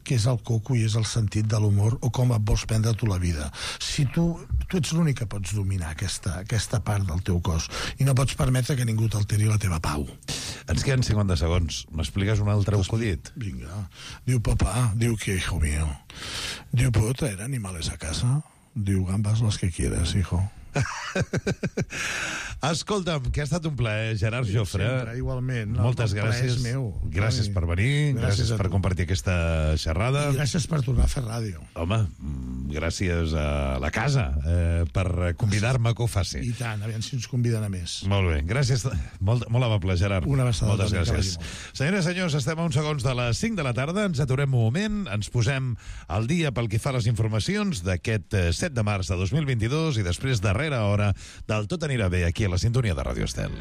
que és el coco i és el sentit de l'humor, o com et vols prendre tu la vida. Si tu ets l'únic que pots dominar aquesta part del teu cos, i no pots permetre que ningú t'alteri la teva pau. Ens queden 50 segons. M'expliques un altre acudit? Vinga. Diu papá, diu que hijo mío. Diu, ¿puedo traer animales a casa? Diu, gambas las que quieras, hijo. Escolta'm, que ha estat un plaer, Gerard Jofre. Sempre, igualment. Moltes El plaer gràcies. és meu. Gràcies per venir, gràcies per compartir aquesta xerrada. I gràcies per tornar a fer ràdio. Home, gràcies a la casa per convidar-me que ho faci. I tant, aviam si ens conviden a més. Molt bé, gràcies. Molt amable, Gerard. Una abraçada. Moltes gràcies. Senyores i senyors, estem a uns segons de les 5 de la tarda. Ens aturem un moment, ens posem al dia pel que fa a les informacions d'aquest 7 de març de 2022 i després darrera hora del Tot anirà bé aquí a la sintonia de Ràdio Estel.